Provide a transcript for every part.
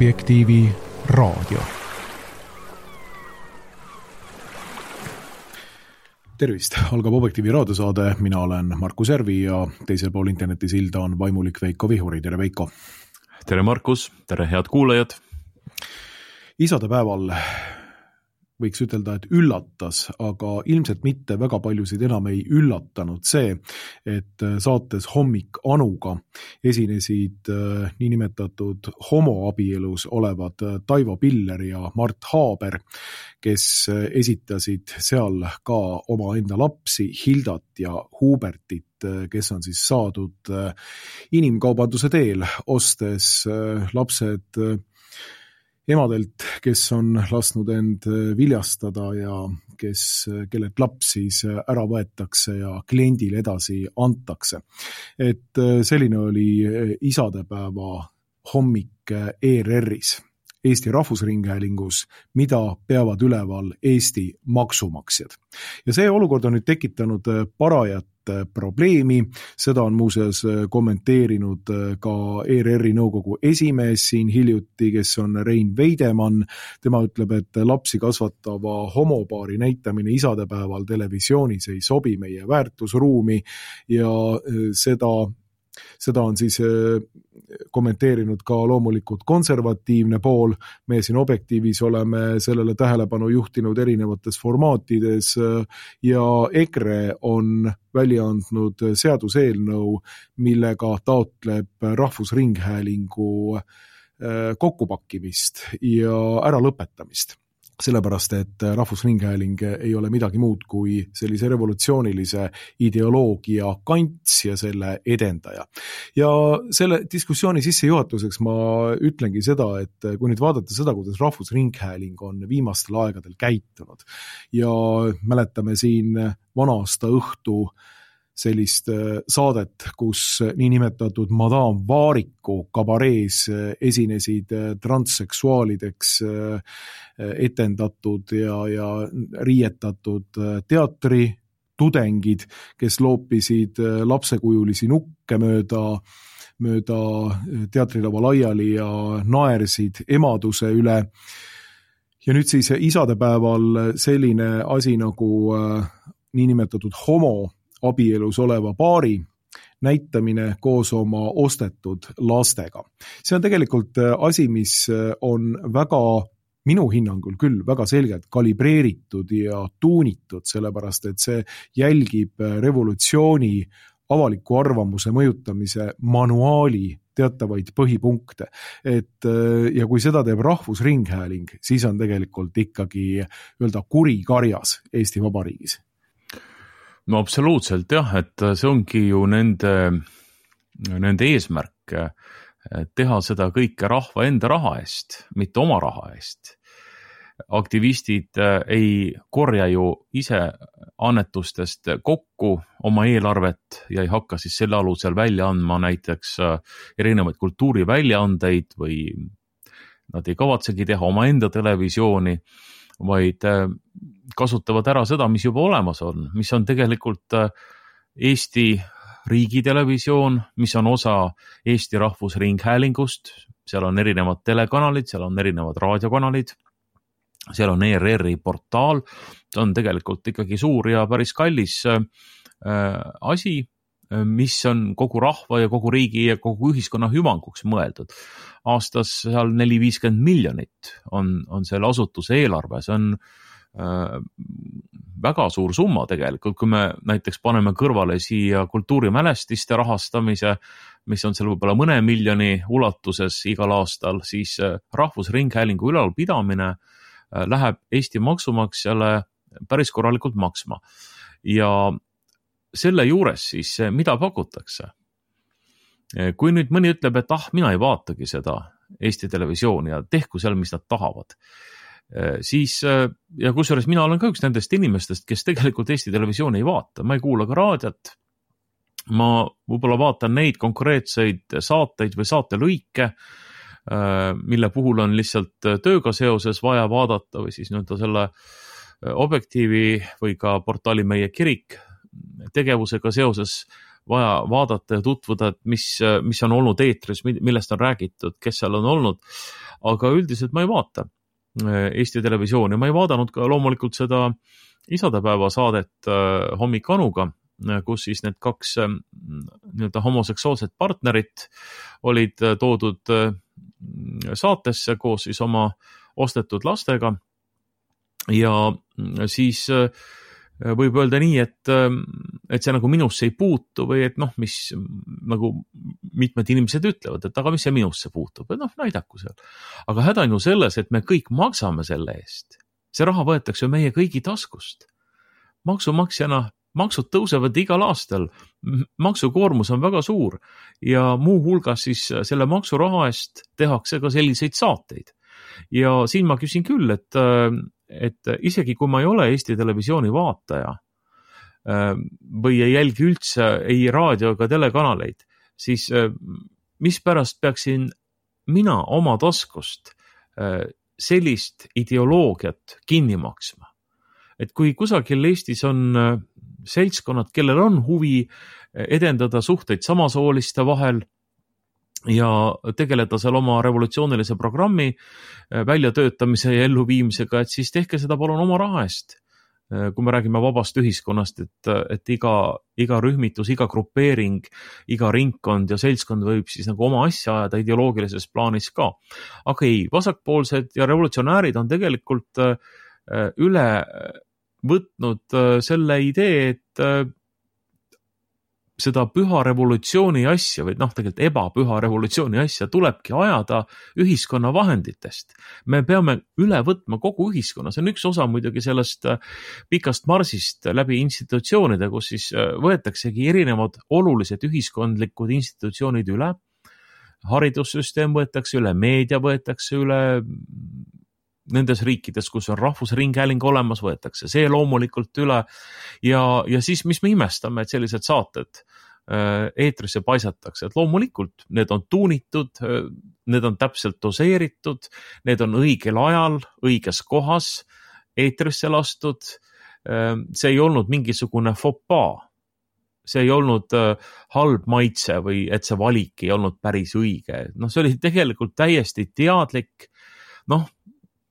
Objektiivi raadio. Tervist, algab Objektiivi raadiosaade, mina olen Markus Järvi ja teisel pool internetisilda on vaimulik Veiko Vihuri. Tere Veiko! Tere Markus, tere head kuulajad! Isadepäeval võiks ütelda, et üllatas, aga ilmselt mitte väga paljusid enam ei üllatanud see, et saates Hommik Anuga esinesid niinimetatud homoabielus olevad Taivo Piller ja Mart Haaber, kes esitasid seal ka oma enda lapsi Hildat ja Hubertit, kes on siis saadud inimkaubanduse teel, ostes lapsed emadelt, kes on lasknud end viljastada ja kellelt laps siis ära võetakse ja kliendile edasi antakse. Et selline oli isadepäeva hommik ERR-is, Eesti Rahvusringhäälingus, mida peavad üleval Eesti maksumaksjad. Ja see olukord on nüüd tekitanud parajat probleemi, seda on muuseas kommenteerinud ka ERR-i nõukogu esimees siin hiljuti, kes on Rein Veidemann. Tema ütleb, et lapsi kasvatava homopaari näitamine isadepäeval televisioonis ei sobi meie väärtusruumi ja seda on siis kommenteerinud ka loomulikult konservatiivne pool. Me siin Objektiivis oleme sellele tähelepanu juhtinud erinevates formaatides ja EKRE on välja andnud seaduseelnõu, millega taotleb Rahvusringhäälingu kokkupakkimist ja ära lõpetamist. Sellepärast, et Rahvusringhääling ei ole midagi muud kui sellise revolutsioonilise ideoloogia kants ja selle edendaja. Ja selle diskussiooni sissejuhatuseks ma ütlengi seda, et kui nüüd vaadata seda, kuidas Rahvusringhääling on viimastel aegadel käitunud ja mäletame siin vana-aasta õhtu sellist saadet, kus niinimetatud Madame Vaariku kabarees esinesid transseksuaalideks etendatud ja riietatud teatritudengid, kes loopisid lapsekujulisi nukke mööda teatrilava laiali ja naersid emaduse üle. Ja nüüd siis isadepäeval selline asi nagu niinimetatud homoabielus oleva paari näitamine koos oma ostetud lastega. See on tegelikult asi, mis on minu hinnangul küll väga selgelt kalibreeritud ja tuunitud, sellepärast et see jälgib revolutsiooni avaliku arvamuse mõjutamise manuaali teatavaid põhipunkte. Ja kui seda teeb Rahvusringhääling, siis on tegelikult ikkagi kuri karjas Eesti Vabariigis. No absoluutselt jah, et see ongi ju nende eesmärk teha seda kõike rahva enda raha eest, mitte oma raha eest. Aktivistid ei korja ju ise annetustest kokku oma eelarvet ja ei hakka siis selle alusel välja andma näiteks erinevaid kultuuriväljaandeid või nad ei kavatsegi teha oma enda televisiooni, vaid kasutavad ära seda, mis juba olemas on, mis on tegelikult Eesti riigitelevisioon, mis on osa Eesti Rahvusringhäälingust, seal on erinevad telekanalid, seal on erinevad raadiokanalid, seal on ERR-i portaal, see on tegelikult ikkagi suur ja päris kallis asi, mis on kogu rahva ja kogu riigi ja kogu ühiskonna hüvanguks mõeldud. Aastas seal 450 miljonit on selle asutuse eelarve, see on väga suur summa tegelikult, kui me näiteks paneme kõrvale siia kultuurimälestiste rahastamise, mis on seal võib-olla mõne miljoni ulatuses igal aastal, siis Rahvusringhäälingu ülalpidamine läheb Eesti maksumaksjale päris korralikult maksma. Ja selle juures siis, mida pakutakse? Kui nüüd mõni ütleb, et mina ei vaatagi seda Eesti televisiooni ja tehku seal, mis nad tahavad, siis, ja kusjuures mina olen ka üks nendest inimestest, kes tegelikult Eesti televisiooni ei vaata, ma ei kuula ka raadiot, ma võib-olla vaatan neid konkreetseid saateid või saatelõike, mille puhul on lihtsalt tööga seoses vaja vaadata või siis selle Objektiivi või ka portaali Meie Kirik tegevusega seoses vaja vaadata ja tutvuda, et mis on olnud eetris, millest on räägitud, kes seal on olnud, aga üldiselt ma ei vaata Eesti Televisiooni, ma ei vaadanud ka loomulikult seda isadepäeva saadet Hommik Anuga, kus siis need 2 nii-öelda homoseksuaalset partnerit olid toodud saatesse koos siis oma ostetud lastega ja siis võib öelda nii, et see nagu minusse ei puutu või et mis nagu mitmed inimesed ütlevad, et aga mis see minusse puutub, et näidaku seal. Aga häda on ju selles, et me kõik maksame selle eest. See raha võetakse ju meie kõigi taskust. Maksumaksjana maksud tõusevad igal aastal, maksukoormus on väga suur ja muu hulgas siis selle maksuraha eest tehakse ka selliseid saateid. Ja siin ma küsin küll, et isegi kui ma ei ole Eesti Televisiooni vaataja või ei jälgi üldse ei raadio ega telekanaleid, siis mispärast peaksin mina oma taskust sellist ideoloogiat kinni maksma? Et kui kusagil Eestis on seltskonnad, kellel on huvi edendada suhteid samasooliste vahel ja tegeleda seal oma revolutsioonilise programmi väljatöötamise ja elluviimisega, et siis tehke seda palun oma raha eest. Kui me räägime vabast ühiskonnast, et iga rühmitus, iga grupeering, iga ringkond ja seltskond võib siis nagu oma asja ajada ideoloogilises plaanis ka. Aga ei, vasakpoolsed ja revolutsionäärid on tegelikult üle võtnud selle idee, et seda püha revolutsiooni asja või tegelikult ebapüha revolutsiooni asja tulebki ajada ühiskonna vahenditest. Me peame üle võtma kogu ühiskonna, see on üks osa muidugi sellest pikast marsist läbi institutsioonide, kus siis võetaksegi erinevad olulised ühiskondlikud institutsioonid üle. Haridussüsteem võetakse üle, meedia võetakse üle, nendes riikides, kus on rahvusringhääling olemas, võetakse see loomulikult üle ja siis mis me imestame, et sellised saated eetrisse paisatakse, et loomulikult need on tuunitud, need on täpselt doseeritud, need on õigel ajal, õiges kohas eetrisse lastud, see ei olnud mingisugune fopaa, see ei olnud halb maitse või et see valik ei olnud päris õige, see oli tegelikult täiesti teadlik,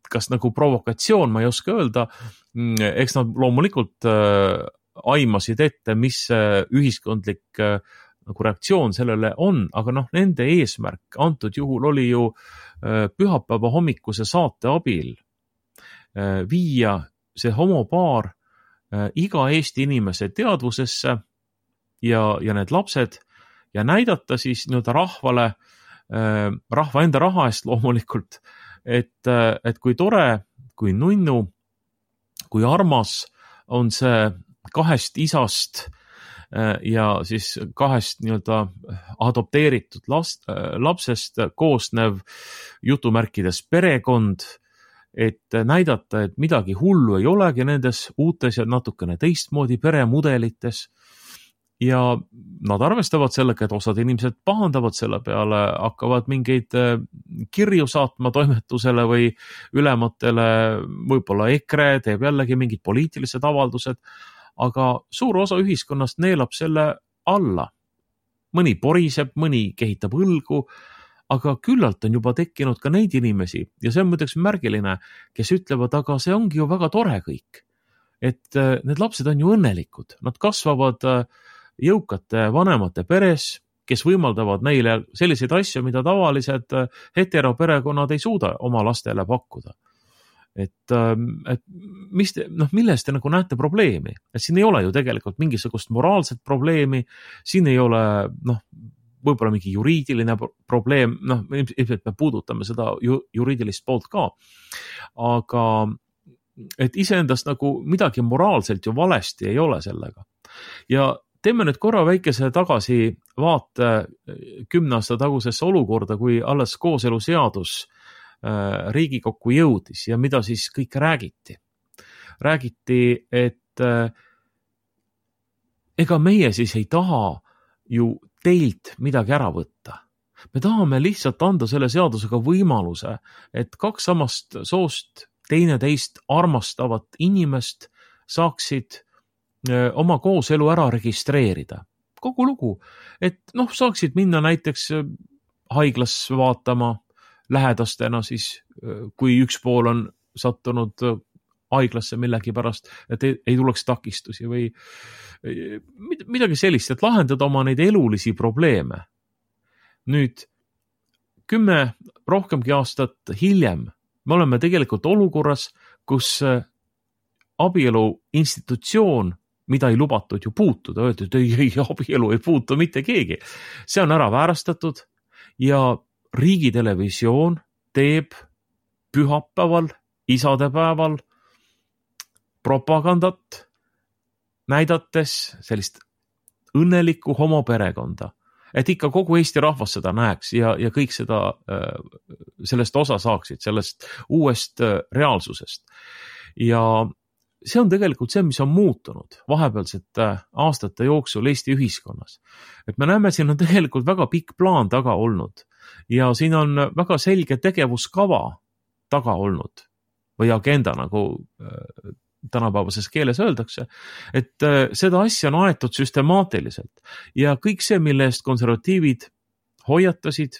kas nagu provokatsioon, ma ei oska öelda, eks nad loomulikult aimasid ette, mis ühiskondlik nagu reaktsioon sellele on, aga nende eesmärk antud juhul oli ju pühapäeva hommikuse saate abil viia see homopaar iga Eesti inimese teadvusesse ja need lapsed ja näidata siis nii-öelda rahvale, rahva enda raha eest loomulikult, et kui tore, kui nunnu, kui armas on see 2 isast ja siis 2 nii-öelda adopteeritud lapsest koosnev jutumärkides perekond, et näidata, et midagi hullu ei olegi nendes uutes ja natukene teistmoodi peremudelites. Ja nad arvestavad sellega, et osad inimesed pahandavad selle peale, hakkavad mingeid kirju saatma toimetusele või ülematele, võib-olla EKRE teeb jällegi mingid poliitilised avaldused, aga suur osa ühiskonnast neelab selle alla. Mõni poriseb, mõni kehitab õlgu, aga küllalt on juba tekkinud ka neid inimesi ja see on muideks märgiline, kes ütlevad, aga see ongi ju väga tore kõik. Et need lapsed on ju õnnelikud, nad kasvavad jõukate vanemate peres, kes võimaldavad neile selliseid asju, mida tavalised heteroperekonnad ei suuda oma lastele pakkuda. Et milles te nagu näete probleemi? Et siin ei ole ju tegelikult mingisugust moraalset probleemi, siin ei ole võib-olla mingi juriidiline probleem, ilmselt me puudutame seda juriidilist poolt ka, aga et iseendast nagu midagi moraalselt ju valesti ei ole sellega. Ja teeme nüüd korra väikese tagasi vaate 10 aasta tagusesse olukorda, kui alles kooseluseadus Riigikokku jõudis ja mida siis kõik räägiti. Räägiti, et ega meie siis ei taha ju teilt midagi ära võtta. Me tahame lihtsalt anda selle seadusega võimaluse, et 2 samast soost teineteist armastavat inimest saaksid oma kooselu ära registreerida kogu lugu, et saaksid minna näiteks haiglas vaatama lähedastena siis, kui üks pool on sattunud haiglasse millegi pärast, et ei tuleks takistusi või midagi sellist, et lahendada oma neid elulisi probleeme. Nüüd 10 rohkemgi aastat hiljem me oleme tegelikult olukorras, kus abielu institutsioon, mida ei lubatud ju puutuda, öeldi, et ei, abielu ei puutu mitte keegi. See on ära väärastatud ja riigitelevisioon teeb pühapäeval, isadepäeval propagandat, näidates sellist õnnelikku homoperekonda, et ikka kogu Eesti rahvas seda näeks ja kõik seda, sellest osa saaksid, sellest uuest reaalsusest. Ja see on tegelikult see, mis on muutunud vahepealsete aastate jooksul Eesti ühiskonnas. Et me näeme, siin on tegelikult väga pikk plaan taga olnud ja siin on väga selge tegevuskava taga olnud või agenda, nagu tänapäevases keeles öeldakse, et seda asja on aetud süstemaatiliselt ja kõik see, mille eest konservatiivid hoiatasid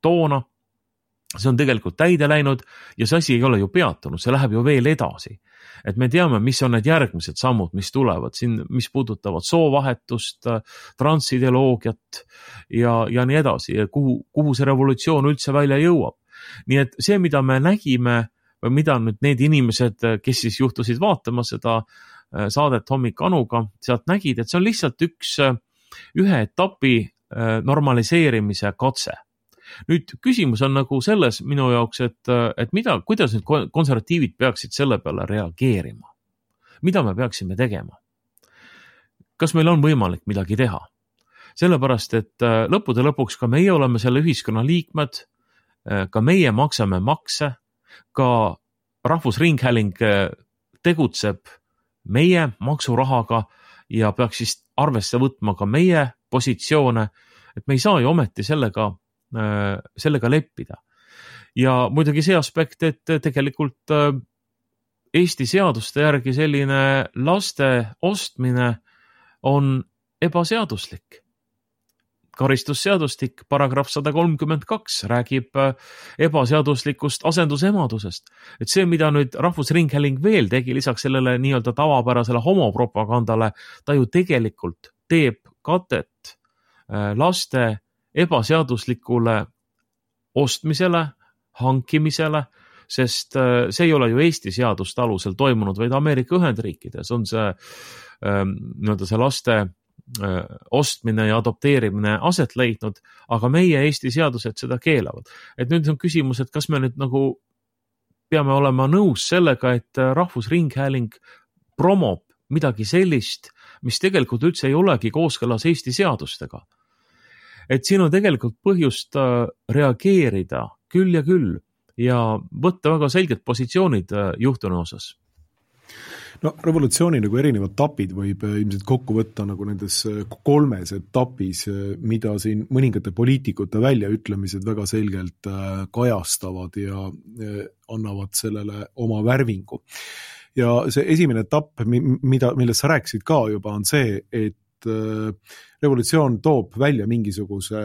toona, see on tegelikult täide läinud ja see asi ei ole ju peatunud, see läheb ju veel edasi. Et me teame, mis on need järgmised sammud, mis tulevad siin, mis puudutavad soovahetust, transideoloogiat ja nii edasi, ja kuhu see revolutsioon üldse välja jõuab. Nii et see, mida me nägime, või mida nüüd need inimesed, kes siis juhtusid vaatama seda saadet Hommik Anuga, sealt nägid, et see on lihtsalt ühe etapi normaliseerimise katse. Nüüd küsimus on nagu selles minu jaoks, et kuidas nüüd konservatiivid peaksid selle peale reageerima? Mida me peaksime tegema? Kas meil on võimalik midagi teha? Sellepärast, et lõppude lõpuks ka meie oleme selle ühiskonna liikmed, ka meie maksame makse, ka Rahvusringhääling tegutseb meie maksurahaga ja peaks siis arvesse võtma ka meie positsioone, et me ei saa ju ometi sellega leppida. Ja muidugi see aspekt, et tegelikult Eesti seaduste järgi selline laste ostmine on ebaseaduslik. Karistusseadustik, paragrahv 132 räägib ebaseaduslikust asendusemadusest. Et see, mida nüüd Rahvusringhääling veel tegi lisaks sellele nii-öelda tavapärasele homopropagandale, ta ju tegelikult teeb katet laste ebaseaduslikule ostmisele, hankimisele, sest see ei ole ju Eesti seaduste alusel toimunud, vaid Ameerika Ühendriikides on see, nii-öelda see laste ostmine ja adopteerimine aset leidnud, aga meie Eesti seadused seda keelavad. Et nüüd on küsimus, et kas me nüüd nagu peame olema nõus sellega, et Rahvusringhääling promob midagi sellist, mis tegelikult üldse ei olegi kooskõlas Eesti seadustega. Et siin on tegelikult põhjust reageerida küll ja võtta väga selged positsioonid juhtunu osas. No revolutsiooni nagu erinevad etapid võib ilmselt kokku võtta nagu nendes 3 etapis, mida siin mõningate poliitikute väljaütlemised väga selgelt kajastavad ja annavad sellele oma värvingu. Ja see esimene etapp, millest sa rääkisid ka juba, on see, et revolutsioon toob välja mingisuguse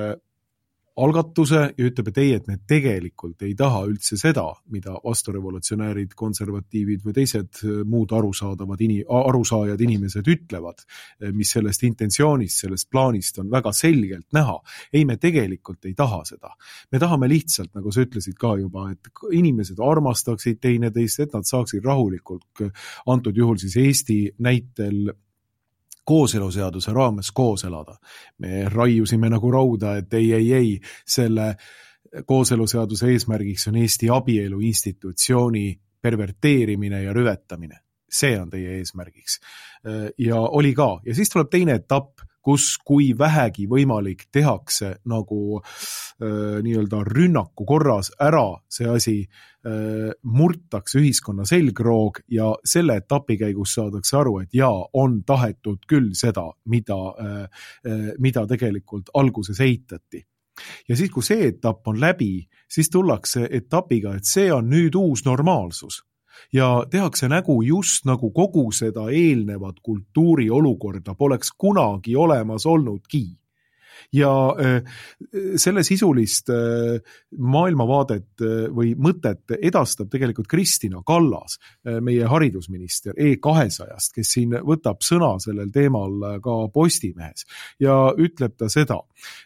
algatuse ja ütleb, et ei, et me tegelikult ei taha üldse seda, mida vasturevolutsionäärid, konservatiivid või teised muud arusaajad inimesed ütlevad, mis sellest intentsioonist, sellest plaanist on väga selgelt näha. Ei, me tegelikult ei taha seda. Me tahame lihtsalt, nagu sa ütlesid ka juba, et inimesed armastaksid teineteist, et nad saaksid rahulikult, antud juhul siis Eesti näitel kooseluseaduse raames koos elada. Me raiusime nagu rauda, et ei, selle kooseluseaduse eesmärgiks on Eesti abielu institutsiooni perverteerimine ja rüvetamine. See on teie eesmärgiks. Ja oli ka. Ja siis tuleb teine etapp, kus kui vähegi võimalik tehakse nagu nii-öelda rünnaku korras ära see asi, murtakse ühiskonna selgroog ja selle etapi käigus saadakse aru, et on tahetud küll seda, mida tegelikult alguses eitati. Ja siis, kui see etapp on läbi, siis tullakse etapiga, et see on nüüd uus normaalsus. ja tehakse nägu just nagu kogu seda eelnevat kultuuriolukorda poleks kunagi olemas olnudki. Ja selle sisulist maailmavaadet või mõtet edastab tegelikult Kristina Kallas, meie haridusminister E200-st, kes siin võtab sõna sellel teemal ka Postimehes ja ütleb ta seda,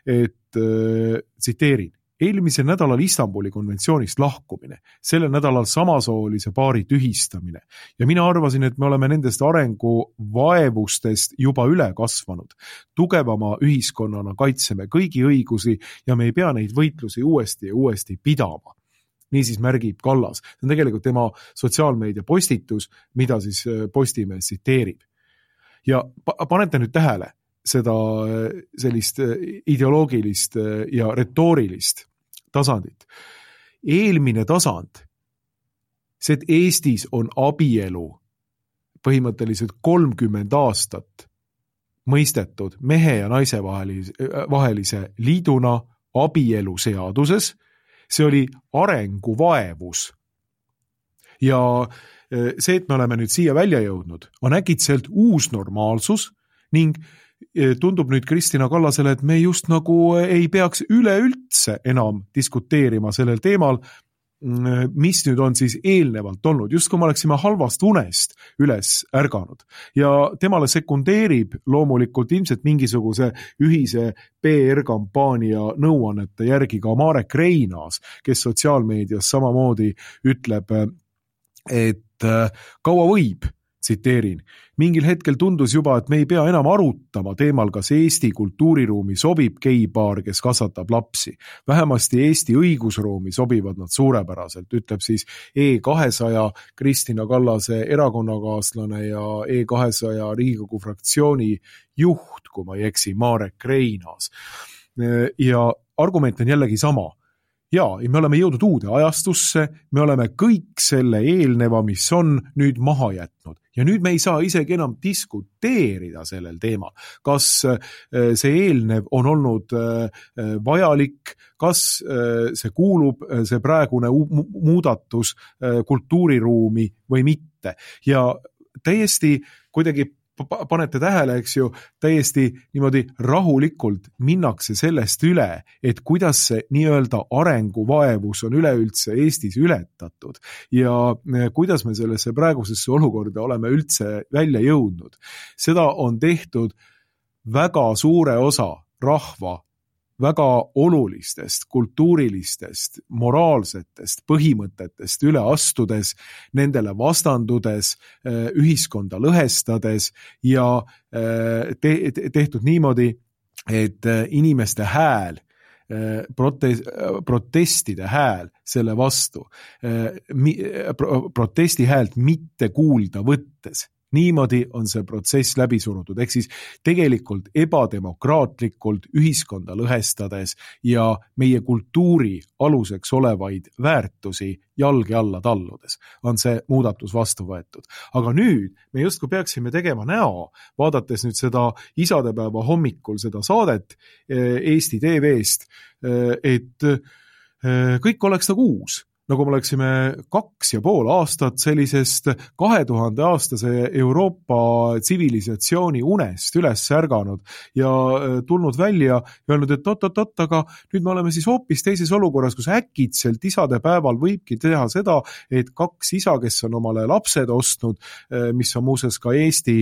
et tsiteerin, eelmisel nädalal Istanbuli konventsioonist lahkumine, sellel nädalal samasoolise paari tühistamine ja mina arvasin, et me oleme nendest arenguvaevustest juba üle kasvanud. Tugevama ühiskonnana kaitseme kõigi õigusi ja me ei pea neid võitlusi uuesti ja uuesti pidama. Niisiis märgib Kallas. See on tegelikult tema sotsiaalmeedia postitus, mida siis Postimees tsiteerib. Ja panete nüüd tähele seda sellist ideoloogilist ja retoorilist tasandit. Eelmine tasand, see, et Eestis on abielu põhimõtteliselt 30 aastat mõistetud mehe ja naise vahelise liiduna abielu seaduses, see oli arenguvaevus. Ja see, et me oleme nüüd siia välja jõudnud, on äkitselt uus normaalsus ning tundub nüüd Kristina Kallasele, et me just nagu ei peaks üleüldse enam diskuteerima sellel teemal, mis nüüd on siis eelnevalt olnud, just kui me oleksime halvast unest üles ärganud. Ja temale sekundeerib loomulikult ilmselt mingisuguse ühise PR-kampaania nõuannete järgi ka Marek Reinaas, kes sotsiaalmeedias samamoodi ütleb, et kaua võib, tsiteerin, mingil hetkel tundus juba, et me ei pea enam arutama teemal, kas Eesti kultuuriruumi sobib geipaar, kes kasvatab lapsi. Vähemasti Eesti õigusruumi sobivad nad suurepäraselt, ütleb siis E200 Kristina Kallase erakonnakaaslane ja E200 Riigikogu fraktsiooni juht, kui ma ei eksi, Marek Reinaas. Ja argument on jällegi sama. Ja me oleme jõudnud uude ajastusse, me oleme kõik selle eelneva, mis on nüüd maha jätnud. Ja nüüd me ei saa isegi enam diskuteerida sellel teemal. Kas see eelnev on olnud vajalik, kas see kuulub, see praegune muudatus kultuuriruumi või mitte. Ja täiesti kuidagi panete tähele, eks ju, täiesti niimoodi rahulikult minnakse sellest üle, et kuidas see nii-öelda arenguvaevus on üleüldse Eestis ületatud ja kuidas me sellesse praegusesse olukorda oleme üldse välja jõudnud. Seda on tehtud väga suure osa rahva väga olulistest, kultuurilistest, moraalsetest põhimõtetest üle astudes, nendele vastandudes, ühiskonda lõhestades ja tehtud niimoodi, et inimeste hääl, protestide hääl selle vastu, protesti häält mitte kuulda võttes. Niimoodi on see protsess läbi surutud, ehk siis tegelikult ebademokraatlikult ühiskonda lõhestades ja meie kultuuri aluseks olevaid väärtusi jalge alla talludes on see muudatus vastu võetud. Aga nüüd me justkui peaksime tegema näo, vaadates nüüd seda isadepäeva hommikul seda saadet Eesti TV-st, et kõik oleks nagu uus. Nagu me oleksime 2,5 aastat sellisest 2000 aastase Euroopa tsivilisatsiooni unest üles ärganud ja tulnud välja ja öelnud, et oot, aga nüüd me oleme siis hoopis teises olukorras, kus äkitselt isade päeval võibki teha seda, et 2 isa, kes on omale lapsed ostnud, mis on muuseas ka Eesti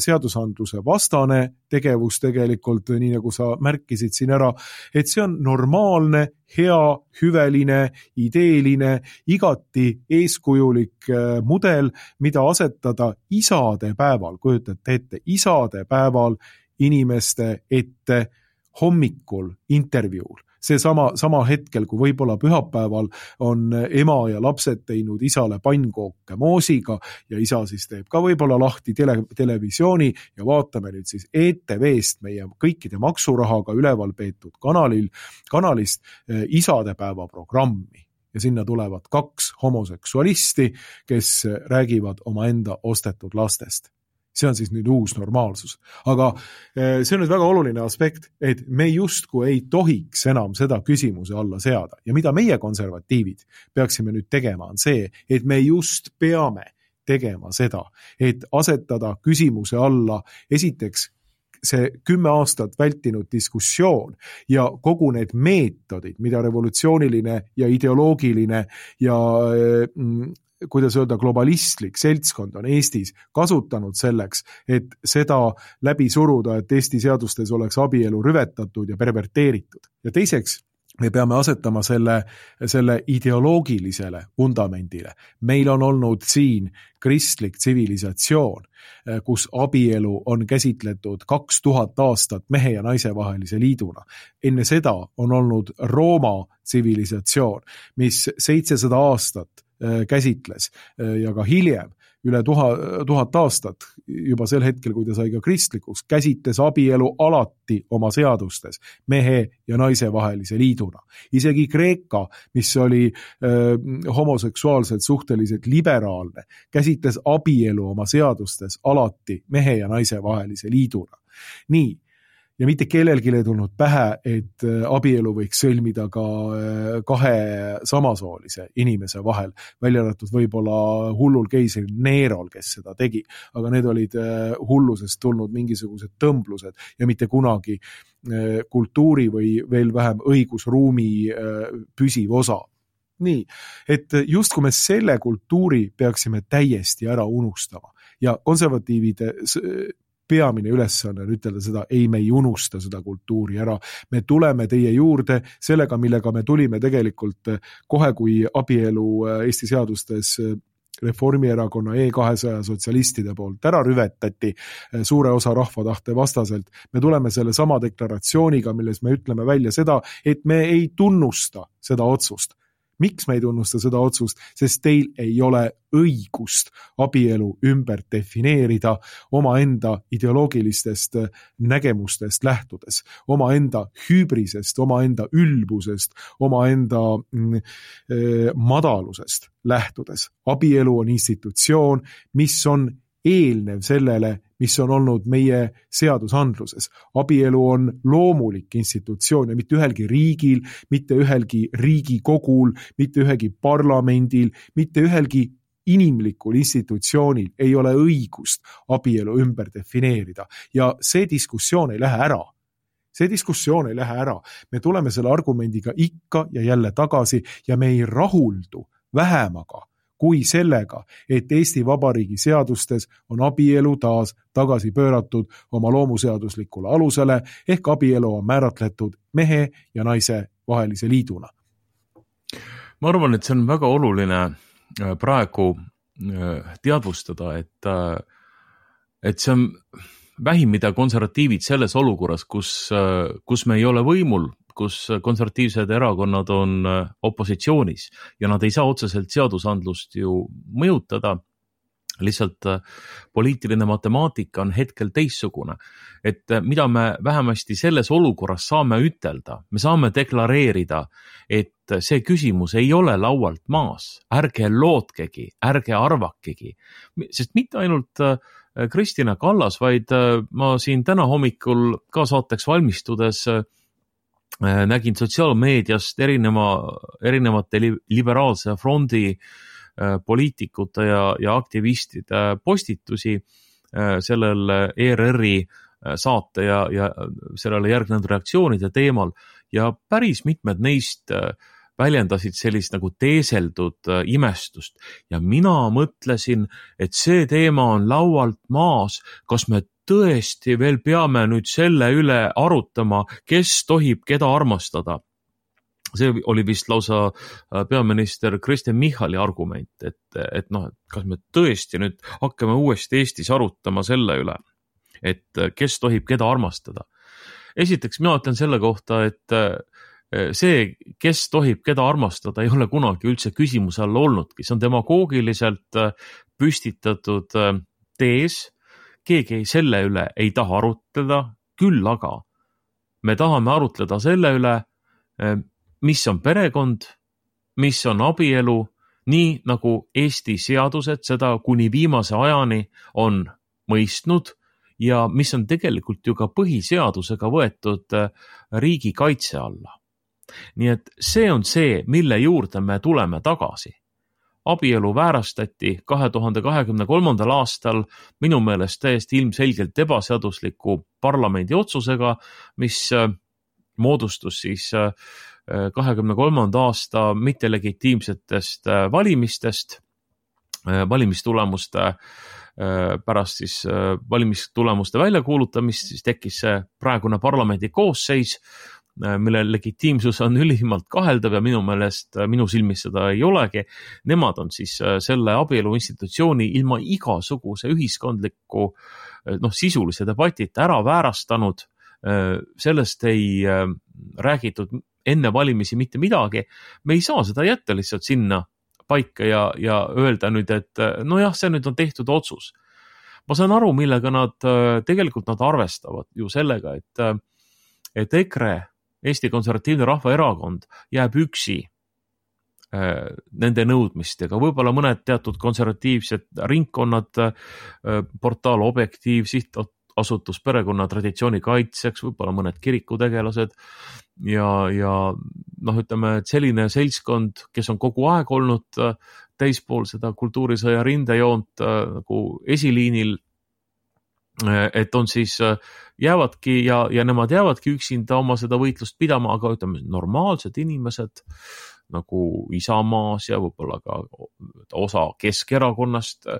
seadusandluse vastane tegevus tegelikult, nii nagu sa märkisid siin ära, et see on normaalne, hea, hüveline, ideeline, igati eeskujulik mudel, mida asetada isade päeval, kujutate ette, isade päeval inimeste ette hommikul intervjuul. See sama hetkel, kui võib-olla pühapäeval on ema ja lapsed teinud isale pannkooke moosiga ja isa siis teeb ka võib-olla lahti televisiooni ja vaatame nüüd siis ETV-st meie kõikide maksurahaga üleval peetud kanalist isadepäeva programmi. Ja sinna tulevad 2 homoseksualisti, kes räägivad omaenda ostetud lastest. see on siis nüüd uus normaalsus. Aga see on nüüd väga oluline aspekt, et me justkui ei tohiks enam seda küsimuse alla seada. Ja mida meie konservatiivid peaksime nüüd tegema, on see, et me just peame tegema seda, et asetada küsimuse alla esiteks see 10 aastat vältinud diskussioon ja kogu need meetodid, mida revolutsiooniline ja ideoloogiline ja kuidas öelda, globalistlik seltskond on Eestis kasutanud selleks, et seda läbi suruda, et Eesti seadustes oleks abielu rüvetatud ja perverteeritud. Ja teiseks, me peame asetama selle ideoloogilisele vundamendile. Meil on olnud siin kristlik tsivilisatsioon, kus abielu on käsitletud 2000 aastat mehe ja naise vahelise liiduna. Enne seda on olnud Rooma tsivilisatsioon, mis 700 aastat käsitles ja ka hiljem üle 1000 aastat, juba sel hetkel, kui ta sai ka kristlikuks, käsitles abielu alati oma seadustes mehe ja naise vahelise liiduna. Isegi Kreeka, mis oli homoseksuaalselt suhteliselt liberaalne, käsitles abielu oma seadustes alati mehe ja naise vahelise liiduna. Nii. Ja mitte kellelgi ei tulnud pähe, et abielu võiks sõlmida ka 2 samasoolise inimese vahel, välja arvatud võib-olla hullul keisril Nerol, kes seda tegi. Aga need olid hullusest tulnud mingisugused tõmblused ja mitte kunagi kultuuri või veel vähem õigusruumi püsiv osa. Nii, et just kui me selle kultuuri peaksime täiesti ära unustama ja konservatiivide peamine ülesanne on ütelda seda, ei, me ei unusta seda kultuuri ära. Me tuleme teie juurde sellega, millega me tulime tegelikult kohe, kui abielu Eesti seadustes Reformierakonna E200 sotsialistide poolt ära rüvetati suure osa rahvatahte vastaselt. Me tuleme selle sama deklaratsiooniga, milles me ütleme välja seda, et me ei tunnusta seda otsust. Miks me ei tunnusta seda otsust? Sest teil ei ole õigust abielu ümber defineerida omaenda ideoloogilistest nägemustest lähtudes, omaenda hübrisest, omaenda ülbusest, omaenda madalusest lähtudes. Abielu on institutsioon, mis on eelnev sellele, mis on olnud meie seadusandluses. Abielu on loomulik institutsioon ja mitte ühelgi riigil, mitte ühelgi riigikogul, mitte ühelgi parlamendil, mitte ühelgi inimlikul institutsioonil ei ole õigust abielu ümber defineerida. Ja see diskussioon ei lähe ära. See diskussioon ei lähe ära. Me tuleme selle argumendiga ikka ja jälle tagasi ja me ei rahuldu vähemaga kui sellega, et Eesti Vabariigi seadustes on abielu taas tagasi pööratud oma loomuseaduslikule alusele, ehk abielu on määratletud mehe ja naise vahelise liiduna. Ma arvan, et see on väga oluline praegu teadvustada, et see on vähim, mida konservatiivid selles olukorras, kus me ei ole võimul, kus konservatiivsed erakonnad on opositsioonis ja nad ei saa otseselt seadusandlust ju mõjutada, lihtsalt poliitiline matemaatika on hetkel teissugune. Et mida me vähemasti selles olukorras saame ütelda, me saame deklareerida, et see küsimus ei ole laualt maas, ärge lootkegi, ärge arvakegi, sest mitte ainult Kristina Kallas, vaid ma siin täna hommikul ka saateks valmistudes nägin sotsiaalmeediast erinevate liberaalse frondi poliitikute ja aktivistide postitusi sellel ERR-i saate ja sellele järgnenud reaktsioonide teemal ja päris mitmed neist väljendasid sellist nagu teeseldud imestust ja mina mõtlesin, et see teema on laualt maas, kas me tõesti veel peame nüüd selle üle arutama, kes tohib keda armastada. See oli vist lausa peaminister Kristen Michali argument, et kas me tõesti nüüd hakkame uuesti Eestis arutama selle üle, et kes tohib keda armastada. Esiteks mina ütlen selle kohta, et see, kes tohib keda armastada, ei ole kunagi üldse küsimuse all olnudki. See on demagoogiliselt püstitatud tees, keegi selle üle ei taha arutleda, küll aga me tahame arutleda selle üle, mis on perekond, mis on abielu, nii nagu Eesti seadused seda kuni viimase ajani on mõistnud ja mis on tegelikult ju ka põhiseadusega võetud riigi kaitse alla. Nii et see on see, mille juurde me tuleme tagasi. Abielu väärastati 2023. aastal minu meelest täiesti ilmselgelt ebaseadusliku parlamendi otsusega, mis moodustus siis 23. aasta mittelegitiimsetest valimistest, valimistulemuste pärast siis valimistulemuste väljakuulutamist, siis tekkis see praegune parlamendi koosseis, mille legitiimsus on ülimalt kaheldav ja minu meelest, minu silmis seda ei olegi. Nemad on siis selle abielu institutsiooni ilma igasuguse ühiskondliku sisulise debatita ära väärastanud. Sellest ei räägitud enne valimisi mitte midagi. Me ei saa seda jätta lihtsalt sinna paika ja öelda nüüd, et nojah, see nüüd on tehtud otsus. Ma saan aru, millega nad arvestavad ju sellega, et EKRE, Eesti Konservatiivne Rahvaerakond jääb üksi nende nõudmistega. Võib-olla mõned teatud konservatiivsed ringkonnad, portaal Objektiiv, sihtasutus perekonna traditsiooni kaitseks, võib-olla mõned kirikutegelased ja ütleme, et selline seltskond, kes on kogu aeg olnud täispool seda kultuurisõja rindejoont nagu esiliinil, et on siis jäävadki ja nemad jäävadki üksinda oma seda võitlust pidama, aga ütleme, normaalsed inimesed nagu Isamaas ja võib-olla ka osa Keskerakonnast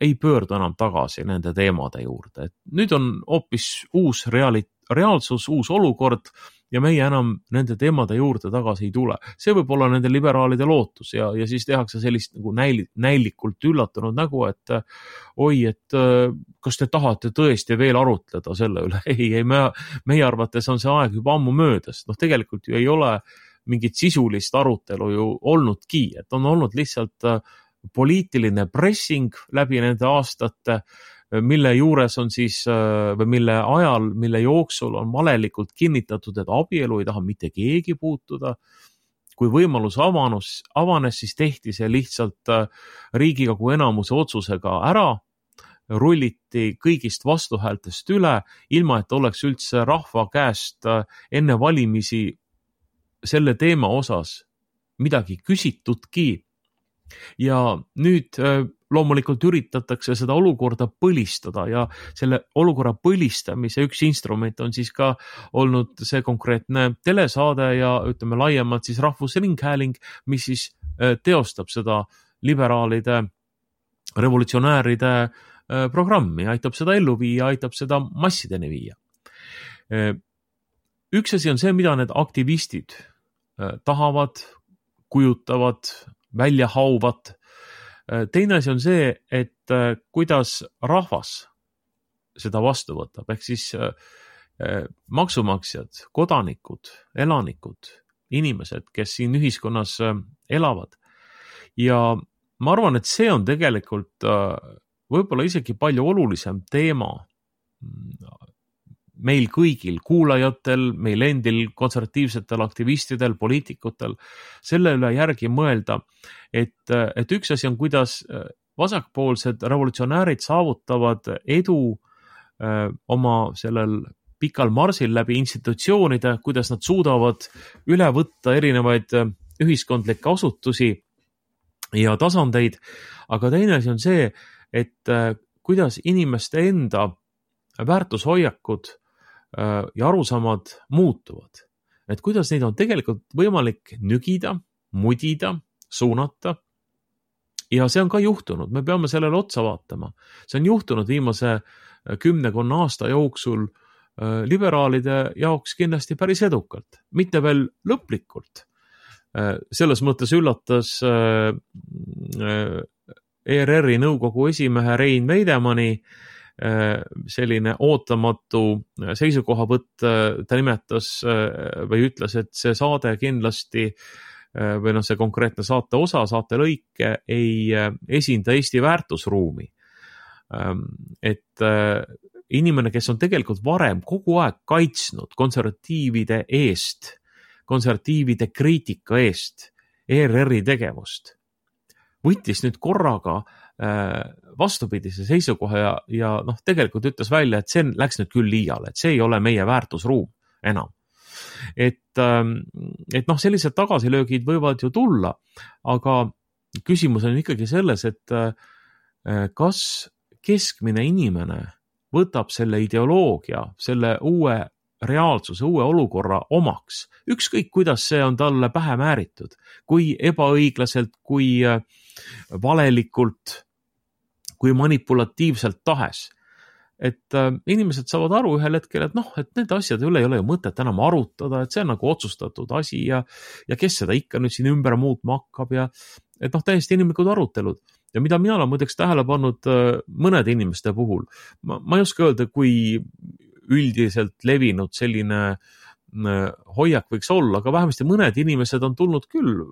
ei pöördu enam tagasi nende teemade juurde. Et nüüd on hoopis uus reaalsus, uus olukord ja meie enam nende teemade juurde tagasi ei tule. See võib olla nende liberaalide lootus ja siis tehakse sellist nagu näilikult üllatunud nägu, et oi, et kas te tahate tõesti veel arutleda selle üle? Ei, meie arvates on see aeg juba ammu möödas. Tegelikult ju ei ole mingit sisulist arutelu ju olnudki, et on olnud lihtsalt poliitiline pressing läbi nende aastate, mille juures on siis, või mille ajal, mille jooksul on valelikult kinnitatud, et abielu ei taha mitte keegi puutuda. Kui võimalus avanes, siis tehti see lihtsalt Riigikogu enamuse otsusega ära, rulliti kõigist vastuhäältest üle, ilma et oleks üldse rahva käest enne valimisi selle teema osas midagi küsitudki. Ja nüüd loomulikult üritatakse seda olukorda põlistada ja selle olukorra põlistamise üks instrument on siis ka olnud see konkreetne telesaade ja ütleme laiemalt siis Rahvusringhääling, mis siis teostab seda liberaalide, revolutsionääride programmi, aitab seda ellu viia, aitab seda massideni viia. Üks asi on see, mida need aktivistid tahavad, kujutavad, välja hauvad. Teine asi on see, et kuidas rahvas seda vastu võtab, ehk siis maksumaksjad, kodanikud, elanikud, inimesed, kes siin ühiskonnas elavad. Ja ma arvan, et see on tegelikult võib-olla isegi palju olulisem teema meil kõigil, kuulajatel, meil endil, konservatiivsetel aktivistidel, poliitikutel, selle üle järgi mõelda, et üks asi on, kuidas vasakpoolsed revolutsionäärid saavutavad edu oma sellel pikal marsil läbi institutsioonide, kuidas nad suudavad üle võtta erinevaid ühiskondlikke asutusi ja tasandeid, aga teine asi on see, et kuidas inimeste enda väärtushoiakud ja arusaamad muutuvad. Et kuidas neid on tegelikult võimalik nügida, mudida, suunata. Ja see on ka juhtunud, me peame sellele otsa vaatama. See on juhtunud viimase 10 aasta jooksul liberaalide jaoks kindlasti päris edukalt, mitte veel lõplikult. Selles mõttes üllatas ERR-i nõukogu esimehe Rein Veidemanni selline ootamatu seisukohavõtt, ta nimetas või ütles, et see saade kindlasti või see konkreetne saate osa, saate lõike ei esinda Eesti väärtusruumi. Et inimene, kes on tegelikult varem kogu aeg kaitsnud konservatiivide eest, konservatiivide kriitika eest ERR-i tegevust, võttis nüüd korraga vastupidise seisukoha ja noh, tegelikult ütles välja, et see läks nüüd küll liiale, et see ei ole meie väärtusruum enam. Et noh, sellised tagasilöögid võivad ju tulla, aga küsimus on ikkagi selles, et kas keskmine inimene võtab selle ideoloogia, selle uue reaalsuse, uue olukorra omaks, ükskõik kuidas see on talle pähe määritud, kui ebaõiglaselt, kui valelikult, kui manipulatiivselt tahes. Et inimesed saavad aru ühel hetkel, et noh, et need asjad üle ei ole ju mõtet enam arutada, et see on nagu otsustatud asi ja kes seda ikka nüüd siin ümber muutma hakkab ja et noh, täiesti inimlikud arutelud. Ja mida mina olen muideks tähele pannud mõnede inimeste puhul, ma ei oska öelda, kui üldiselt levinud selline hoiak võiks olla, aga vähemasti mõned inimesed on tulnud küll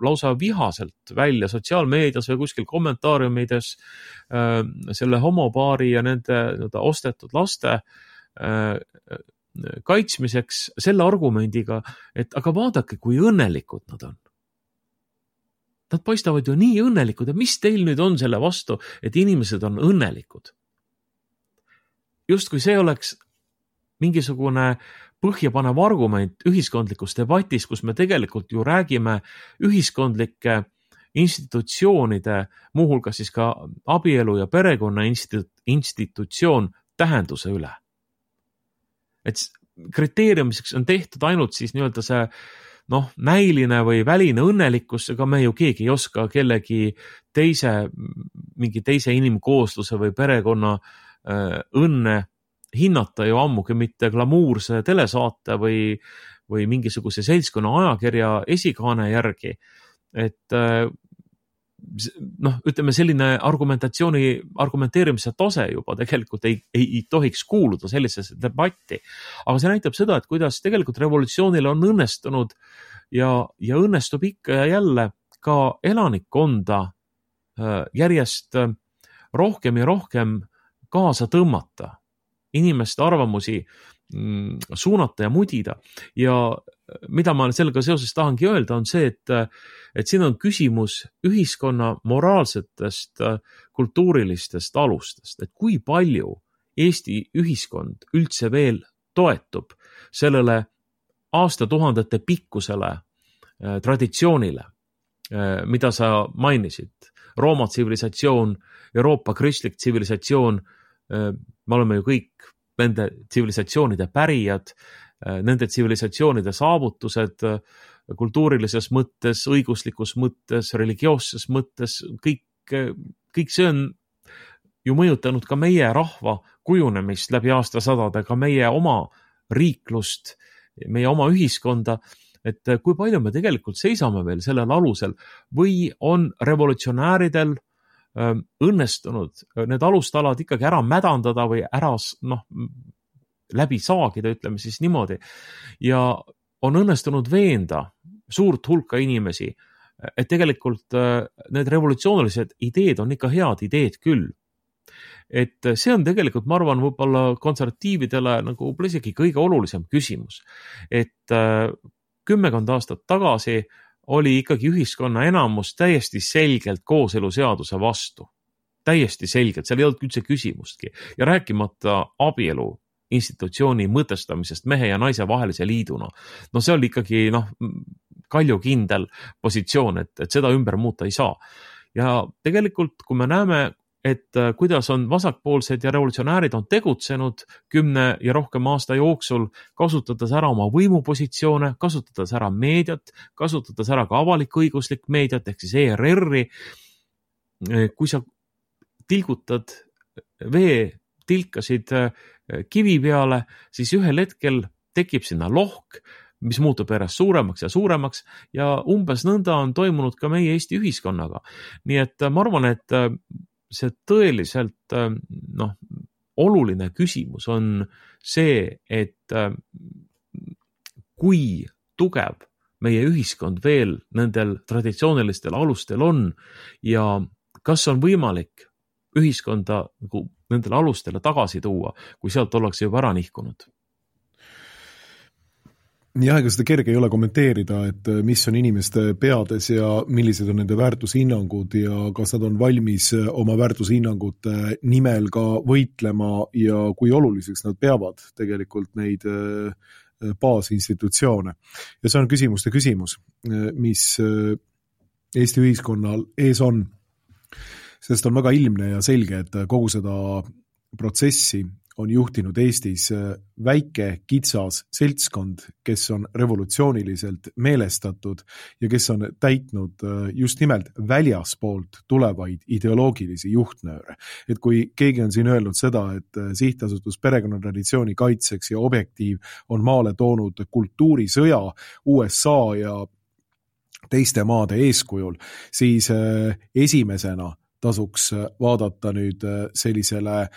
lausa vihaselt välja sotsiaalmeedias või kuskil kommentaariumides selle homopaari ja nende ostetud laste kaitsmiseks selle argumendiga, et aga vaadake, kui õnnelikud nad on. Nad paistavad ju nii õnnelikud, et mis teil nüüd on selle vastu, et inimesed on õnnelikud? Just kui see oleks mingisugune põhjapanev argument ühiskondlikus debatis, kus me tegelikult ju räägime ühiskondlike institutsioonide, muuhulgas siis ka abielu ja perekonna institutsioon tähenduse üle. Et kriteeriumiseks on tehtud ainult siis nii-öelda see noh, näiline või väline õnnelikkus, ega me ju keegi ei oska kellegi mingi teise inimkoosluse või perekonna õnne hinnata ju ammugi mitte glamuurse telesaate või mingisuguse seltskonna ajakirja esikaane järgi. Et noh, ütleme selline argumenteerimise tase juba tegelikult ei tohiks kuuluda sellisesse debatti. Aga see näitab seda, et kuidas tegelikult revolutsioonil on õnnestunud ja õnnestub ikka ja jälle ka elanikkonda järjest rohkem ja rohkem kaasa tõmmata, inimeste arvamusi suunata ja mudida. Ja mida ma sellega seoses tahangi öelda, on see, et siin on küsimus ühiskonna moraalsetest, kultuurilistest alustest, et kui palju Eesti ühiskond üldse veel toetub sellele aastatuhandete pikkusele traditsioonile, mida sa mainisid. Rooma tsivilisatsioon, Euroopa kristlik tsivilisatsioon, me oleme ju kõik nende tsivilisatsioonide pärijad, nende tsivilisatsioonide saavutused kultuurilises mõttes, õiguslikus mõttes, religioosses mõttes, kõik see on ju mõjutanud ka meie rahva kujunemist läbi aastasadade, ka meie oma riiklust, meie oma ühiskonda, et kui palju me tegelikult seisame veel sellel alusel või on revolutsionääridel õnnestunud need alustalad ikkagi ära mädandada või ära läbi saagida, ütleme siis niimoodi. Ja on õnnestunud veenda suurt hulka inimesi, et tegelikult need revolutsioonilised ideed on ikka head ideed küll. Et see on tegelikult, ma arvan, võib-olla konservatiividele nagu isegi kõige olulisem küsimus. Et 10 aastat tagasi oli ikkagi ühiskonna enamus täiesti selgelt kooseluseaduse vastu. Täiesti selgelt, seal ei olnud üldse küsimustki. Ja rääkimata abielu institutsiooni mõtestamisest mehe ja naise vahelise liiduna. No see oli ikkagi kaljukindel positsioon, et seda ümber muuta ei saa. Ja tegelikult, kui me näeme, et kuidas on vasakpoolsed ja revolutsionäärid on tegutsenud 10 ja rohkem aasta jooksul, kasutades ära oma võimupositsioone, kasutades ära meediat, kasutades ära ka avalik-õiguslik meediat, ehk siis ERR-i. Kui sa tilgutad veetilkasid kivi peale, siis ühel hetkel tekib sinna lohk, mis muutub järjest suuremaks ja umbes nõnda on toimunud ka meie Eesti ühiskonnaga. Nii et ma arvan, et see tõeliselt oluline küsimus on see, et kui tugev meie ühiskond veel nendel traditsioonilistel alustel on ja kas on võimalik ühiskonda nendele alustele tagasi tuua, kui sealt ollakse juba ära nihkunud. Jah, ega seda kerge ei ole kommenteerida, et mis on inimeste peades ja millised on nende väärtushinnangud ja kas nad on valmis oma väärtushinnangute nimel ka võitlema ja kui oluliseks nad peavad tegelikult neid baasinstitutsioone. Ja see on küsimuste küsimus, mis Eesti ühiskonnal ees on, sest on väga ilmne ja selge, et kogu seda protsessi on juhtinud Eestis väike kitsas seltskond, kes on revolutsiooniliselt meelestatud ja kes on täitnud just nimelt väljaspoolt tulevaid ideoloogilisi juhtnööre. Et kui keegi on siin öelnud seda, et sihtasutus perekonnatraditsiooni kaitseks ja Objektiiv on maale toonud kultuurisõja USA ja teiste maade eeskujul, siis esimesena tasuks vaadata nüüd sellisele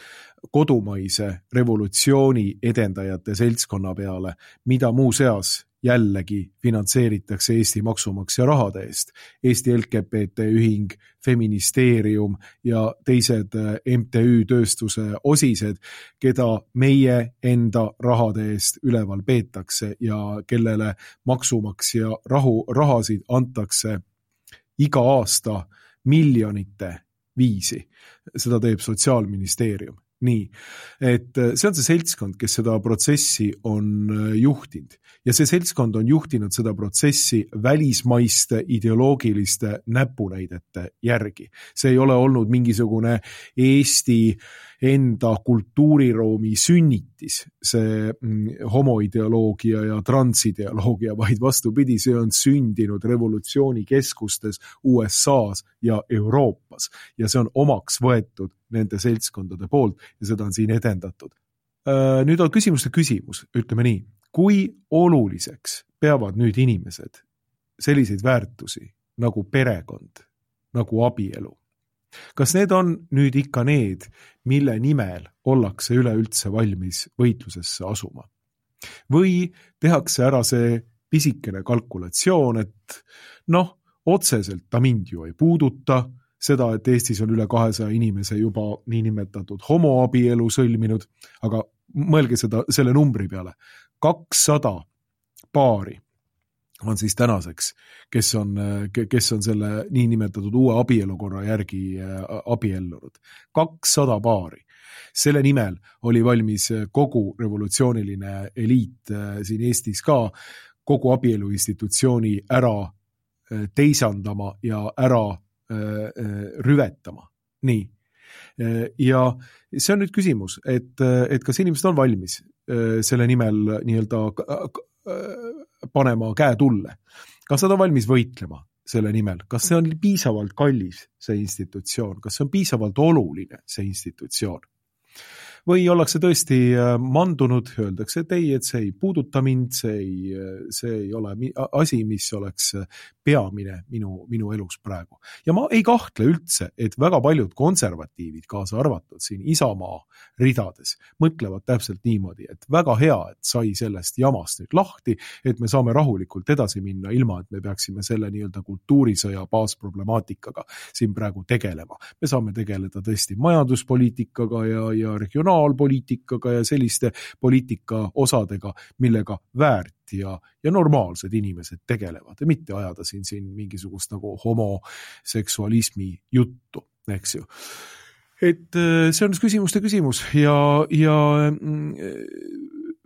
kodumaise revolutsiooni edendajate seltskonna peale, mida muuseas jällegi finantseeritakse Eesti maksumaksja rahade eest. Eesti LGBT ühing, Feministeerium ja teised MTÜ tööstuse osised, keda meie enda rahade eest üleval peetakse ja kellele maksumaksja rahasid antakse iga aasta miljonite viisi. Seda teeb Sotsiaalministeerium. Nii, et see on see seltskond, kes seda protsessi on juhtinud ja see seltskond on juhtinud seda protsessi välismaiste ideoloogiliste näpunäidete järgi. See ei ole olnud mingisugune Eesti enda kultuuriruumi sünnitis, see homoideoloogia ja transideoloogia, vaid vastupidi, see on sündinud revolutsioonikeskustes USAs ja Euroopas ja see on omaks võetud nende seltskondade poolt ja seda on siin edendatud. Nüüd on küsimuste küsimus, ütleme nii, kui oluliseks peavad nüüd inimesed selliseid väärtusi nagu perekond, nagu abielu? Kas need on nüüd ikka need, mille nimel ollakse üleüldse valmis võitlusesse asuma? Või tehakse ära see pisikene kalkulatsioon, et otseselt ta mind ju ei puuduta, seda, et Eestis on üle 200 inimese juba niinimetatud homoabielu sõlminud, aga mõelge selle numbri peale. 200 paari on siis tänaseks, kes on selle niinimetatud uue abielukorra järgi abiellunud. 200 paari. Selle nimel oli valmis kogu revolutsiooniline eliit siin Eestis ka kogu abielu institutsiooni ära teisandama ja ära rüvetama. Nii. Ja see on nüüd küsimus, et kas inimesed on valmis selle nimel nii-öelda panema käe tulle. Kas nad on valmis võitlema selle nimel? Kas see on piisavalt kallis, see institutsioon? Kas see on piisavalt oluline, see institutsioon? Või ollakse tõesti mandunud, öeldakse, et ei, et see ei puuduta mind, see ei ole asi, mis oleks peamine minu elus praegu. Ja ma ei kahtle üldse, et väga paljud konservatiivid, kaasa arvatud siin Isamaa ridades, mõtlevad täpselt niimoodi, et väga hea, et sai sellest jamast nüüd lahti, et me saame rahulikult edasi minna, ilma et me peaksime selle nii-öelda kultuurisõja baasproblemaatikaga siin praegu tegelema. Me saame tegeleda tõesti majanduspoliitikaga ja regionaalpoliitikaga ja selliste poliitika osadega, millega väärt ja normaalsed inimesed tegelevad ja mitte ajada siin mingisugust nagu homoseksualismi juttu, eks ju. Et see on küsimuste küsimus ja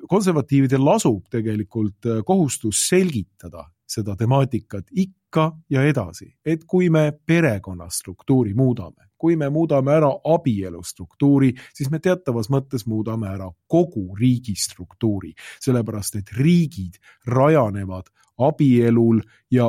konservatiividel lasub tegelikult kohustus selgitada seda temaatikat ikka ja edasi, et kui me perekonnastruktuuri muudame, kui me muudame ära abielustruktuuri, siis me teatavas mõttes muudame ära kogu riigistruktuuri, sellepärast et riigid rajanevad abielul ja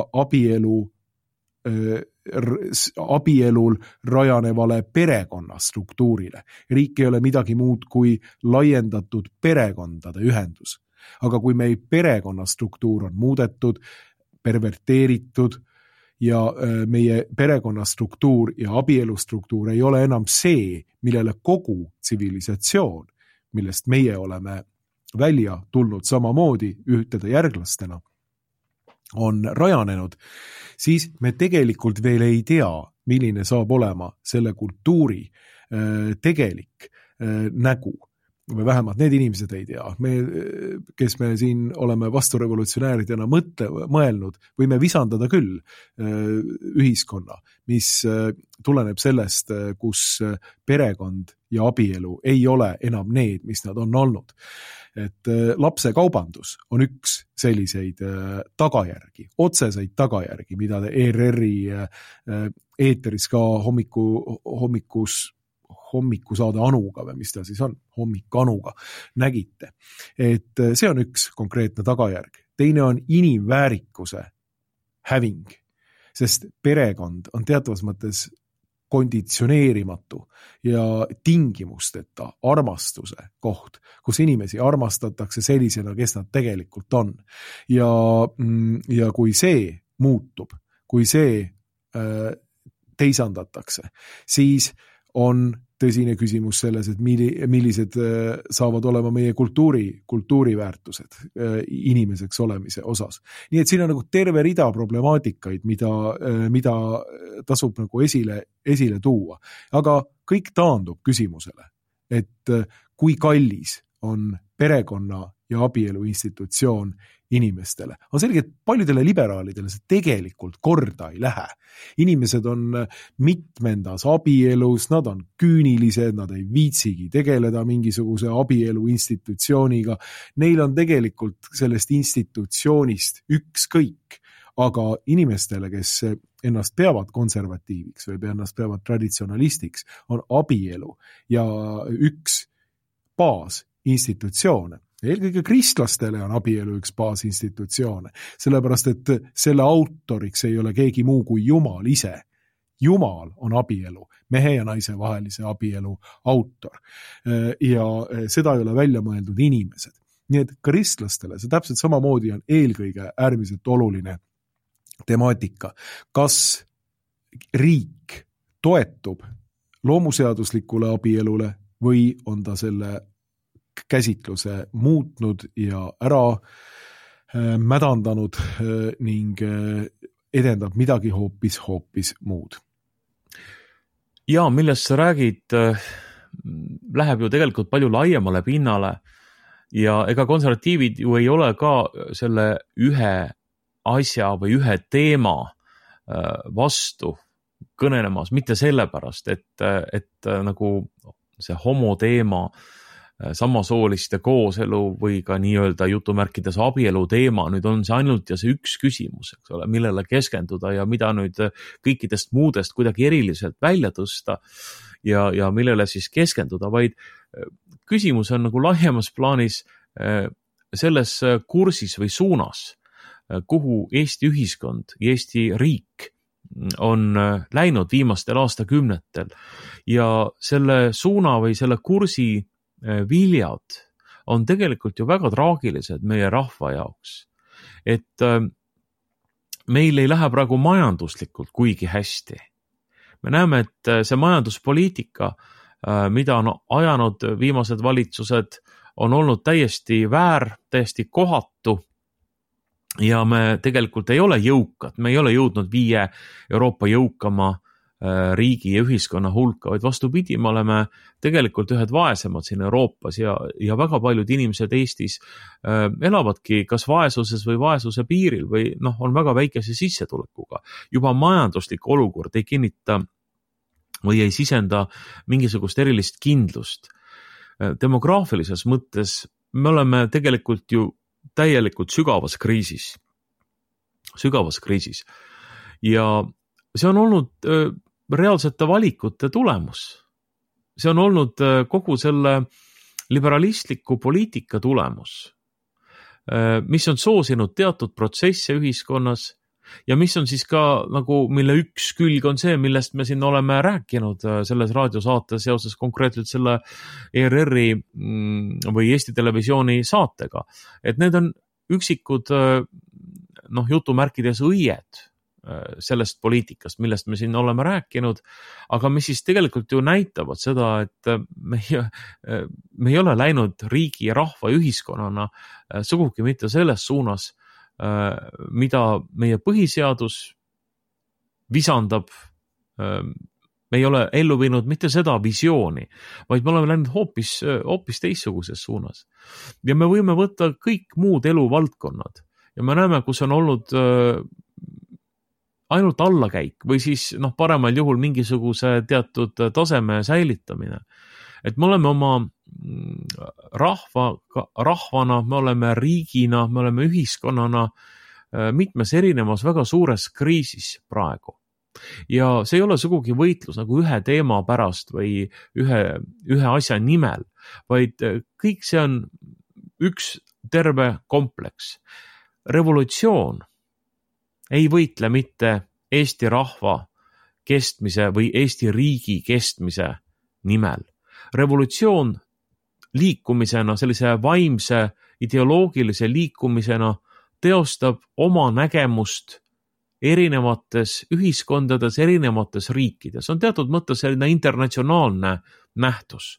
abielul rajanevale perekonnastruktuurile. Riik ei ole midagi muud kui laiendatud perekondade ühendus. Aga kui meil perekonnastruktuur on muudetud, perverteeritud ja meie perekonnastruktuur ja abielustruktuur ei ole enam see, millele kogu tsivilisatsioon, millest meie oleme välja tulnud samamoodi ühtede järglastena, on rajanenud, siis me tegelikult veel ei tea, milline saab olema selle kultuuri tegelik nägu. või vähemalt need inimesed ei tea. Kes me siin oleme vasturevolutsionääridena mõelnud, võime visandada küll ühiskonna, mis tuleneb sellest, kus perekond ja abielu ei ole enam need, mis nad on olnud. Et lapsekaubandus on üks selliseid tagajärgi, otseseid tagajärgi, mida te ERR-i eeteris ka hommikusaade Anuga või mis ta siis on, hommik Anuga nägite. Et see on üks konkreetne tagajärg. Teine on inimväärikuse häving, sest perekond on teatavas mõttes konditsioneerimatu ja tingimusteta armastuse koht, kus inimesi armastatakse sellisena, kes nad tegelikult on. Ja kui see muutub, kui see teisandatakse, siis on tõsine küsimus selles, et millised saavad olema meie kultuuriväärtused inimeseks olemise osas. Nii et siin on nagu terve rida problemaatikaid, mida tasub nagu esile tuua. Aga kõik taandub küsimusele, et kui kallis on perekonna ja abielu institutsioon inimestele. On selge, et paljudele liberaalidele see tegelikult korda ei lähe. Inimesed on mitmendas abielus, nad on küünilised, nad ei viitsigi tegeleda mingisuguse abielu institutsiooniga. Neil on tegelikult sellest institutsioonist ükskõik, aga inimestele, kes ennast peavad konservatiiviks või ennast peavad traditsionalistiks, on abielu ja üks baasinstitutsioone. Eelkõige kristlastele on abielu üks baasinstitutsioone, sellepärast et selle autoriks ei ole keegi muu kui Jumal ise. Jumal on abielu, mehe ja naise vahelise abielu autor ja seda ei ole välja mõeldud inimesed. Nii et kristlastele see täpselt samamoodi on eelkõige äärmiselt oluline temaatika. Kas riik toetub loomuseaduslikule abielule või on ta selle käsitluse muutnud ja ära mädandanud ning edendab midagi hoopis muud. Ja millest sa räägid, läheb ju tegelikult palju laiemale pinnale ja ega konservatiivid ju ei ole ka selle ühe asja või ühe teema vastu kõnelemas, mitte sellepärast, et nagu see homo teema, samasooliste kooselu või ka nii-öelda jutumärkides abielu teema, nüüd on see ainult ja see üks küsimus, eks ole, millele keskenduda ja mida nüüd kõikidest muudest kuidagi eriliselt välja tõsta ja millele siis keskenduda, vaid küsimus on nagu laiemas plaanis selles kursis või suunas, kuhu Eesti ühiskond ja Eesti riik on läinud viimastel aastakümnetel ja selle suuna või selle kursi viljad on tegelikult ju väga traagilised meie rahva jaoks. Et meil ei lähe praegu majanduslikult kuigi hästi. Me näeme, et see majanduspoliitika, mida on ajanud viimased valitsused, on olnud täiesti väär, täiesti kohatu ja me tegelikult ei ole jõukad. Me ei ole jõudnud 5 Euroopa jõukama riigi ja ühiskonna hulka, vaid vastupidi, me oleme tegelikult ühed vaesemad siin Euroopas ja väga paljud inimesed Eestis elavadki kas vaesuses või vaesuse piiril või on väga väikese sissetulekuga. Juba majanduslik olukord ei kinnita või ei sisenda mingisugust erilist kindlust. Demograafilises mõttes me oleme tegelikult ju täielikult sügavas kriisis. Ja see on olnud reaalsete valikute tulemus. See on olnud kogu selle liberalistliku poliitika tulemus, mis on soosinud teatud protsesse ühiskonnas ja mis on siis ka nagu, mille üks külg on see, millest me siin oleme rääkinud selles raadiosaates seoses konkreetselt selle ERR-i või Eesti Televisiooni saatega. Et need on üksikud jutumärkides õied sellest poliitikast, millest me siin oleme rääkinud, aga mis siis tegelikult ju näitavad seda, et me ei ole läinud riigi ja rahva ja ühiskonnana sugugi mitte selles suunas, mida meie põhiseadus visandab me ei ole ellu viinud mitte seda visiooni, vaid me oleme läinud hoopis teistsuguses suunas. Ja me võime võtta kõik muud eluvaldkonnad ja me näeme, kus on olnud ainult allakäik või siis paremal juhul mingisuguse teatud taseme säilitamine. Et me oleme oma rahvana, me oleme riigina, me oleme ühiskonnana mitmes erinevas väga suures kriisis praegu. Ja see ei ole sugugi võitlus nagu ühe teema pärast või ühe asja nimel, vaid kõik see on üks terve kompleks. Revolutsioon ei võitle mitte Eesti rahva kestmise või Eesti riigi kestmise nimel. Revolutsioon liikumisena, sellise vaimse ideoloogilise liikumisena teostab oma nägemust erinevates ühiskondades, erinevates riikides. On teatud mõttes selline internatsionaalne nähtus.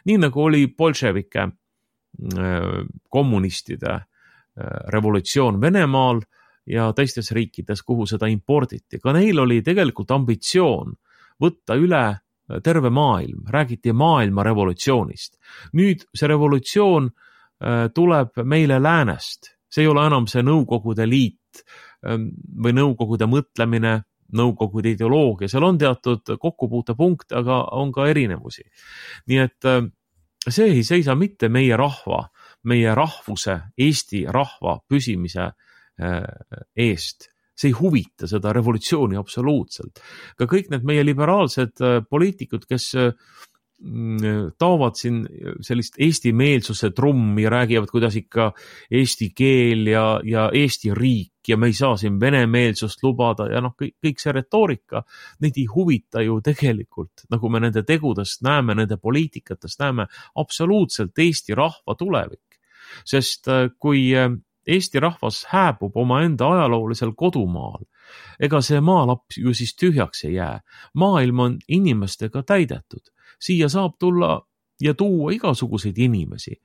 Nii nagu oli bolševike kommunistide revolutsioon Venemaal ja teistes riikides, kuhu seda imporditi. Ka neil oli tegelikult ambitsioon võtta üle terve maailm, räägiti maailma revolutsioonist. Nüüd see revolutsioon tuleb meile läänest. See ei ole enam see Nõukogude Liit või Nõukogude mõtlemine, Nõukogude ideoloogia. Seal on teatud kokkupuutepunkt, aga on ka erinevusi. Nii et see ei seisa mitte meie rahva, meie rahvuse, Eesti rahva püsimise eest. See ei huvita seda revolutsiooni absoluutselt. Ka kõik need meie liberaalsed poliitikud, kes taovad siin sellist eesti-meelsuse trummi ja räägivad, kuidas ikka eesti keel ja Eesti riik ja me ei saa siin venemeelsust lubada ja kõik see retoorika, neid ei huvita ju tegelikult, nagu me nende tegudest näeme, nende poliitikatest näeme, absoluutselt Eesti rahva tulevik. Sest kui Eesti rahvas hääbub oma enda ajaloolisel kodumaal, ega see maalapp ju siis tühjaks ei jää. Maailm on inimestega täidetud. Siia saab tulla ja tuua igasuguseid inimesi.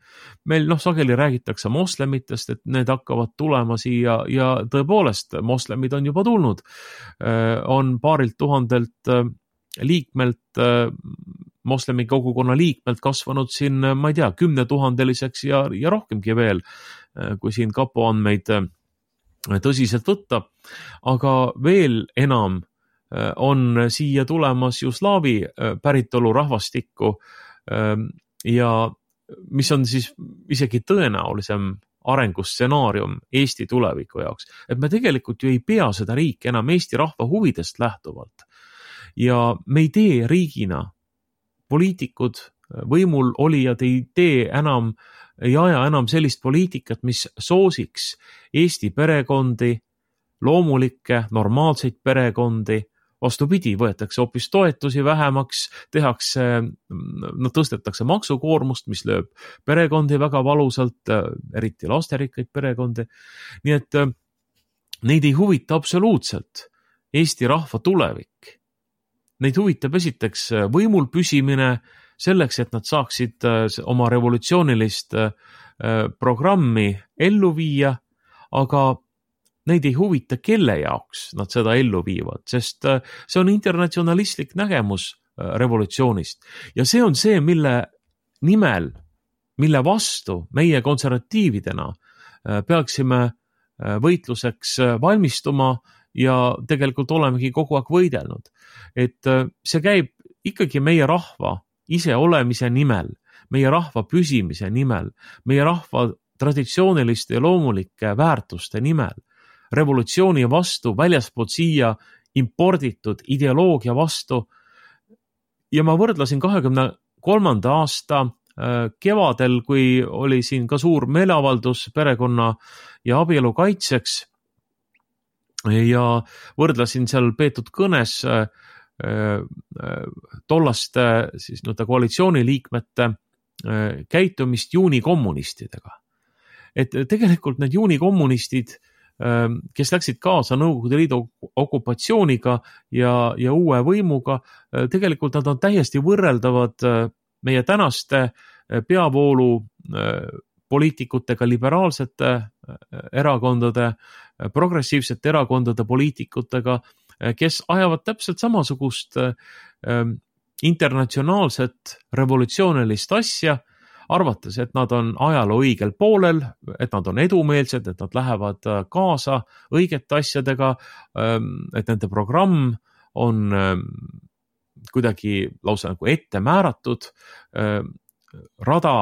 Meil sageli räägitakse moslemitest, et need hakkavad tulema siia ja tõepoolest moslemid on juba tulnud. On paarilt tuhandelt liikmelt, moslemi kogukonna liikmelt kasvanud siin, ma ei tea, 10 000 ja rohkemgi veel, kui siin kapo andmeid tõsiselt võtta. Aga veel enam on siia tulemas ju slaavi päritolu rahvastikku ja mis on siis isegi tõenäolisem arengustsenaarium Eesti tuleviku jaoks. Et me tegelikult ju ei pea seda riiki enam Eesti rahva huvidest lähtuvalt. Ja me ei tee riigina, poliitikud, võimul olijad ei aja enam sellist poliitikat, mis soosiks Eesti perekondi, loomulikke, normaalseid perekondi. Vastupidi, võetakse hoopis toetusi vähemaks, tõstetakse maksukoormust, mis lööb perekondi väga valusalt, eriti lasterikkaid perekondi. Nii et neid ei huvita absoluutselt Eesti rahva tulevik. Neid huvitab esiteks võimul püsimine selleks, et nad saaksid oma revolutsioonilist programmi ellu viia, aga neid ei huvita, kelle jaoks nad seda ellu viivad, sest see on internatsionalistlik nägemus revolutsioonist. Ja see on see, mille nimel, mille vastu meie konservatiividena peaksime võitluseks valmistuma ja tegelikult olemegi kogu aeg võidelnud. Et see käib ikkagi meie rahva iseolemise nimel, meie rahva püsimise nimel, meie rahva traditsiooniliste ja loomulike väärtuste nimel. Revolutsiooni vastu, väljaspoolt siia imporditud ideoloogia vastu. Ja ma võrdlasin 23. aasta kevadel, kui oli siin ka suur meeleavaldus perekonna ja abielu kaitseks ja võrdlasin seal peetud kõnes tollaste siis koalitsiooniliikmete käitumist juunikommunistidega. Et tegelikult need juunikommunistid, kes läksid kaasa Nõukogude Liidu okupatsiooniga ja uue võimuga, tegelikult nad on täiesti võrreldavad meie tänaste peavoolu poliitikutega, liberaalsete erakondade, progressiivsete erakondade poliitikutega. kes ajavad täpselt samasugust internatsionaalset revolutsioonilist asja, arvates, et nad on ajaloo õigel poolel, et nad on edumeelsed, et nad lähevad kaasa õigete asjadega, et nende programm on kuidagi lausa nagu ette määratud rada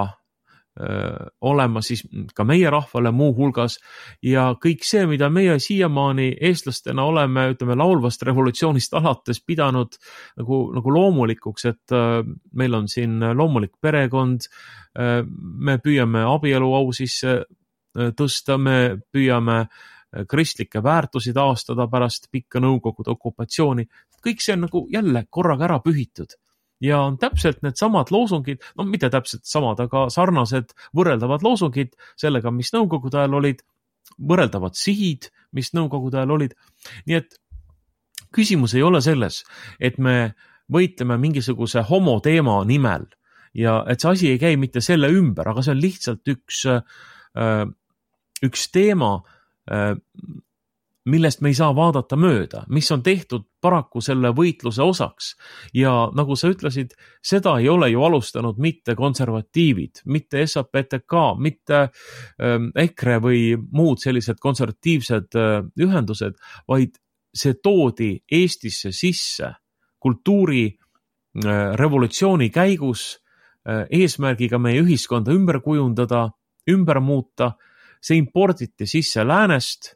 olema siis ka meie rahvale muu hulgas ja kõik see, mida meie siiamaani eestlastena oleme, ütleme, laulvast revolutsioonist alates pidanud nagu loomulikuks, et meil on siin loomulik perekond, me püüame abielu au sisse tõsta, me püüame kristlikke väärtusi taastada pärast pikka Nõukogude okupatsiooni. Kõik see on nagu jälle korraga ära pühitud. Ja on täpselt need samad loosungid, no mitte täpselt samad, aga sarnased võrreldavad loosungid sellega, mis Nõukogude ajal olid, võrreldavad sihid, mis Nõukogude ajal olid. Nii et küsimus ei ole selles, et me võitleme mingisuguse homoteema nimel ja et see asi ei käi mitte selle ümber, aga see on lihtsalt üks teema, millest me ei saa vaadata mööda, mis on tehtud paraku selle võitluse osaks. Ja nagu sa ütlesid, seda ei ole ju alustanud mitte konservatiivid, mitte SAPTK, mitte EKRE või muud sellised konservatiivsed ühendused, vaid see toodi Eestisse sisse kultuuri revolutsiooni käigus eesmärgiga meie ühiskonda ümber kujundada, ümber muuta. See imporditi sisse läänest,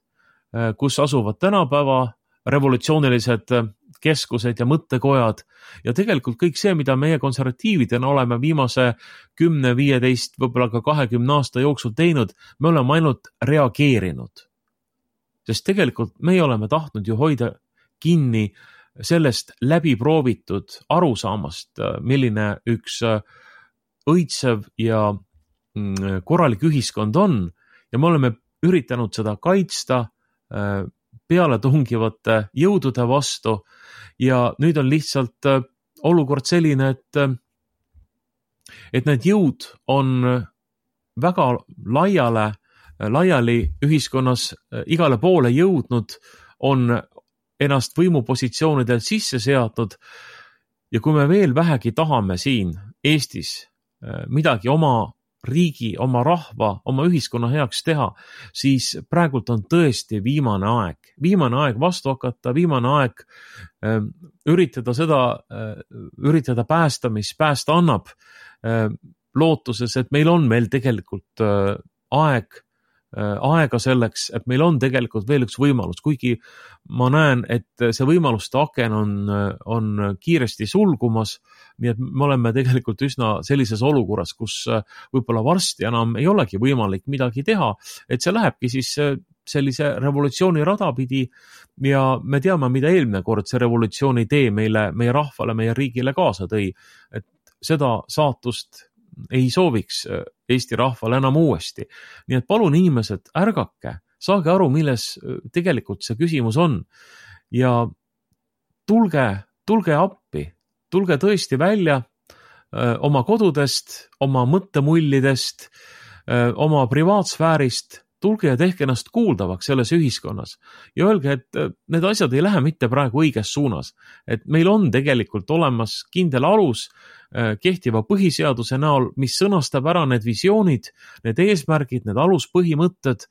kus asuvad tänapäeva revolutsioonilised keskused ja mõttekojad ja tegelikult kõik see, mida meie konservatiividena oleme viimase 10, 15, võib-olla ka 20 aasta jooksul teinud, me oleme ainult reageerinud. Sest tegelikult me oleme tahtnud ju hoida kinni sellest läbiproovitud arusaamast, milline üks õitsev ja korralik ühiskond on ja me oleme üritanud seda kaitsta peale tungivate jõudude vastu ja nüüd on lihtsalt olukord selline, et need jõud on väga laiali ühiskonnas igale poole jõudnud, on ennast võimupositsioonidel sisse seadnud ja kui me veel vähegi tahame siin Eestis midagi oma riigi, oma rahva, oma ühiskonna heaks teha, siis praegult on tõesti viimane aeg vastu hakata, viimane aeg üritada päästa, mis päästa annab, lootuses, et meil on veel tegelikult aega selleks, et meil on tegelikult veel üks võimalus, kuigi ma näen, et see võimaluste aken on kiiresti sulgumas, nii et me oleme tegelikult üsna sellises olukorras, kus võib-olla varsti enam ei olegi võimalik midagi teha, et see lähebki siis sellise revolutsiooni rada pidi ja me teame, mida eelmine kord see revolutsiooni tee meie rahvale, meie riigile kaasa tõi, et seda saatust ei sooviks Eesti rahvale enam uuesti. Nii et palun inimesed, ärgake, saage aru, milles tegelikult see küsimus on ja tulge appi, tulge tõesti välja oma kodudest, oma mõttemullidest, oma privaatsfäärist, tulge ja tehke ennast kuuldavaks selles ühiskonnas ja öelge, et need asjad ei lähe mitte praegu õiges suunas, et meil on tegelikult olemas kindel alus kehtiva põhiseaduse näol, mis sõnastab ära need visioonid, need eesmärgid, need aluspõhimõtted,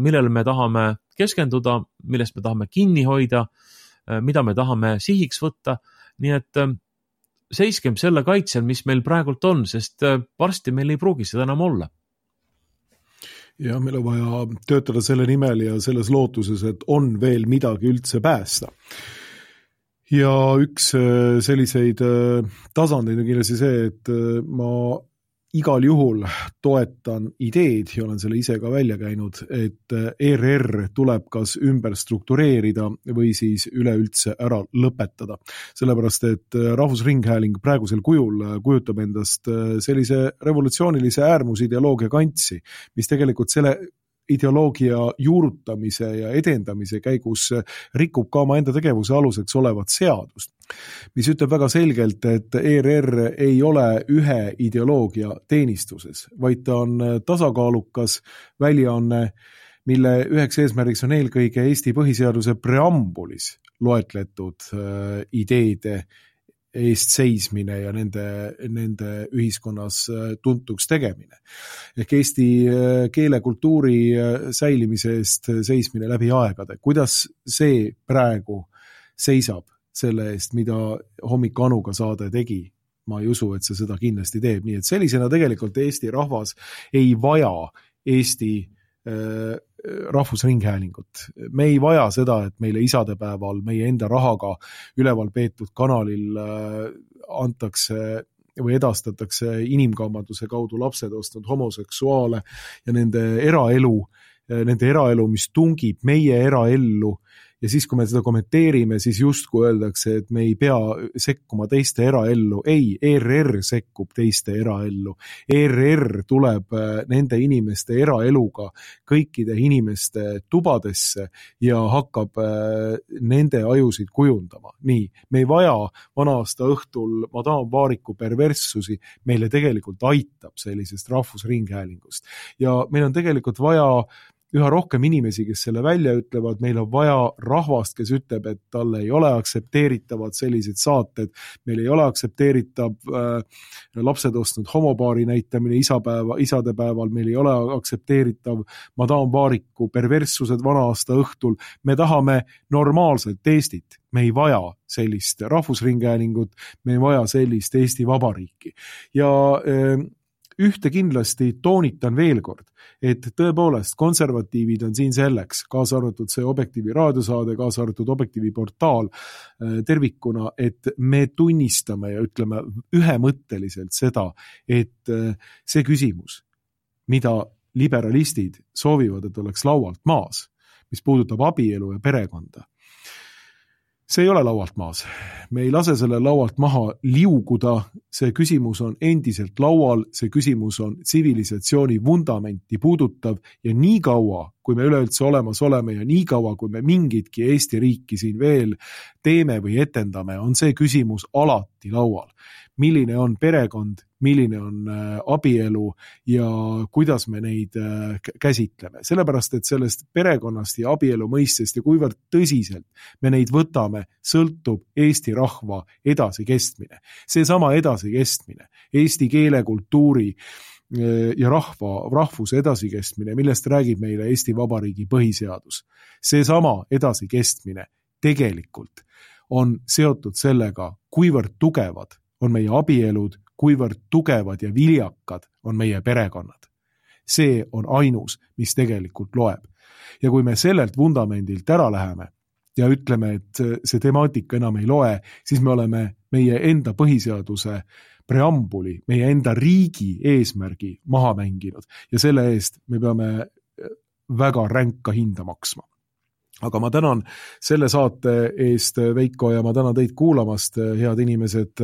millele me tahame keskenduda, millest me tahame kinni hoida, mida me tahame sihiks võtta, nii et seiskem selle kaitsel, mis meil praegult on, sest varsti meil ei pruugi seda enam olla. Ja meil on vaja töötada selle nimel ja selles lootuses, et on veel midagi üldse päästa. Ja üks selliseid tasandeid on kindlasti see, et ma igal juhul toetan ideed ja olen selle ise ka välja käinud, et ERR tuleb kas ümber struktureerida või siis üleüldse ära lõpetada. Sellepärast, et Rahvusringhääling praegusel kujul kujutab endast sellise revolutsioonilise äärmusideoloogia kantsi, mis tegelikult selle ideoloogia juurutamise ja edendamise käigus rikub ka oma enda tegevuse aluseks olevat seadust, mis ütleb väga selgelt, et ERR ei ole ühe ideoloogia teenistuses, vaid ta on tasakaalukas väljaanne, mille üheks eesmärgiks on eelkõige Eesti põhiseaduse preambulis loetletud ideede eest seismine ja nende ühiskonnas tuntuks tegemine. Ehk eesti keele kultuuri säilimise eest seismine läbi aegade. Kuidas see praegu seisab selle eest, mida Hommik Anuga saade tegi? Ma ei usu, et see seda kindlasti teeb. Nii et sellisena tegelikult Eesti rahvas ei vaja Eesti rahvusringhäälingut. Me ei vaja seda, et meile isadepäeval meie enda rahaga üleval peetud kanalil antakse või edastatakse inimkaubanduse kaudu lapsed ostnud homoseksuaale ja nende eraelu, mis tungib meie eraellu. Ja siis, kui me seda kommenteerime, siis justkui öeldakse, et me ei pea sekkuma teiste eraellu. Ei, ERR sekkub teiste eraellu. ERR tuleb nende inimeste eraeluga kõikide inimeste tubadesse ja hakkab nende ajusid kujundama. Nii, me ei vaja vana-aasta õhtul Madame Vaariku perverssusi, meile tegelikult aitab sellisest rahvusringhäälingust. Ja meil on tegelikult vaja üha rohkem inimesi, kes selle välja ütlevad, meil on vaja rahvast, kes ütleb, et talle ei ole aktsepteeritavad sellised saated, meil ei ole aktsepteeritav lapsed ostnud homopaari näitamine isadepäeval, meil ei ole aktsepteeritav Madame Vaariku perverssused vana-aasta õhtul, me tahame normaalset Eestit, me ei vaja sellist rahvusringhäälingut, me ei vaja sellist Eesti Vabariiki ja ühte kindlasti toonitan veel kord, et tõepoolest konservatiivid on siin selleks, kaasa arvatud see Objektiivi raadiosaade, kaasa arvatud Objektiivi portaal tervikuna, et me tunnistame ja ütleme ühemõtteliselt seda, et see küsimus, mida liberalistid soovivad, et oleks laualt maas, mis puudutab abielu ja perekonda, see ei ole laualt maas. Me ei lase selle laualt maha liuguda, see küsimus on endiselt laual, see küsimus on tsivilisatsiooni vundamenti puudutav ja nii kaua, kui me üleüldse olemas oleme ja nii kaua, kui me mingitki Eesti riiki siin veel teeme või etendame, on see küsimus alati laual. Milline on perekond, milline on abielu ja kuidas me neid käsitleme. Sellepärast, et sellest perekonnast ja abielu mõistest ja kuivõrd tõsiselt me neid võtame, sõltub Eesti rahva edasikestmine. Seesama edasikestmine, eesti keele, kultuuri ja rahvuse edasikestmine, millest räägib meile Eesti Vabariigi põhiseadus. Seesama edasikestmine tegelikult on seotud sellega, kuivõrd tugevad on meie abielud, kuivõrd tugevad ja viljakad on meie perekonnad. See on ainus, mis tegelikult loeb. Ja kui me sellelt vundamendilt ära läheme ja ütleme, et see temaatika enam ei loe, siis me oleme meie enda põhiseaduse preambuli, meie enda riigi eesmärgi maha mänginud ja selle eest me peame väga ränka hinda maksma. Aga ma tänan selle saate eest, Veiko, ja ma tänan teid kuulamast, head inimesed.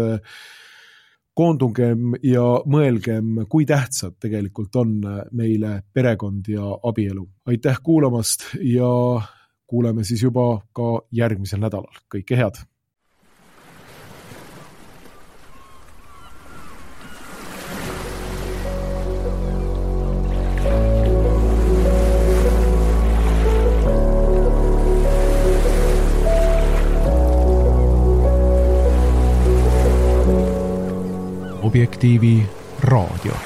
Koondungem ja mõelgem, kui tähtsad tegelikult on meile perekond ja abielu. Aitäh kuulamast ja kuuleme siis juba ka järgmisel nädalal. Kõike head! Objektiivi raadio.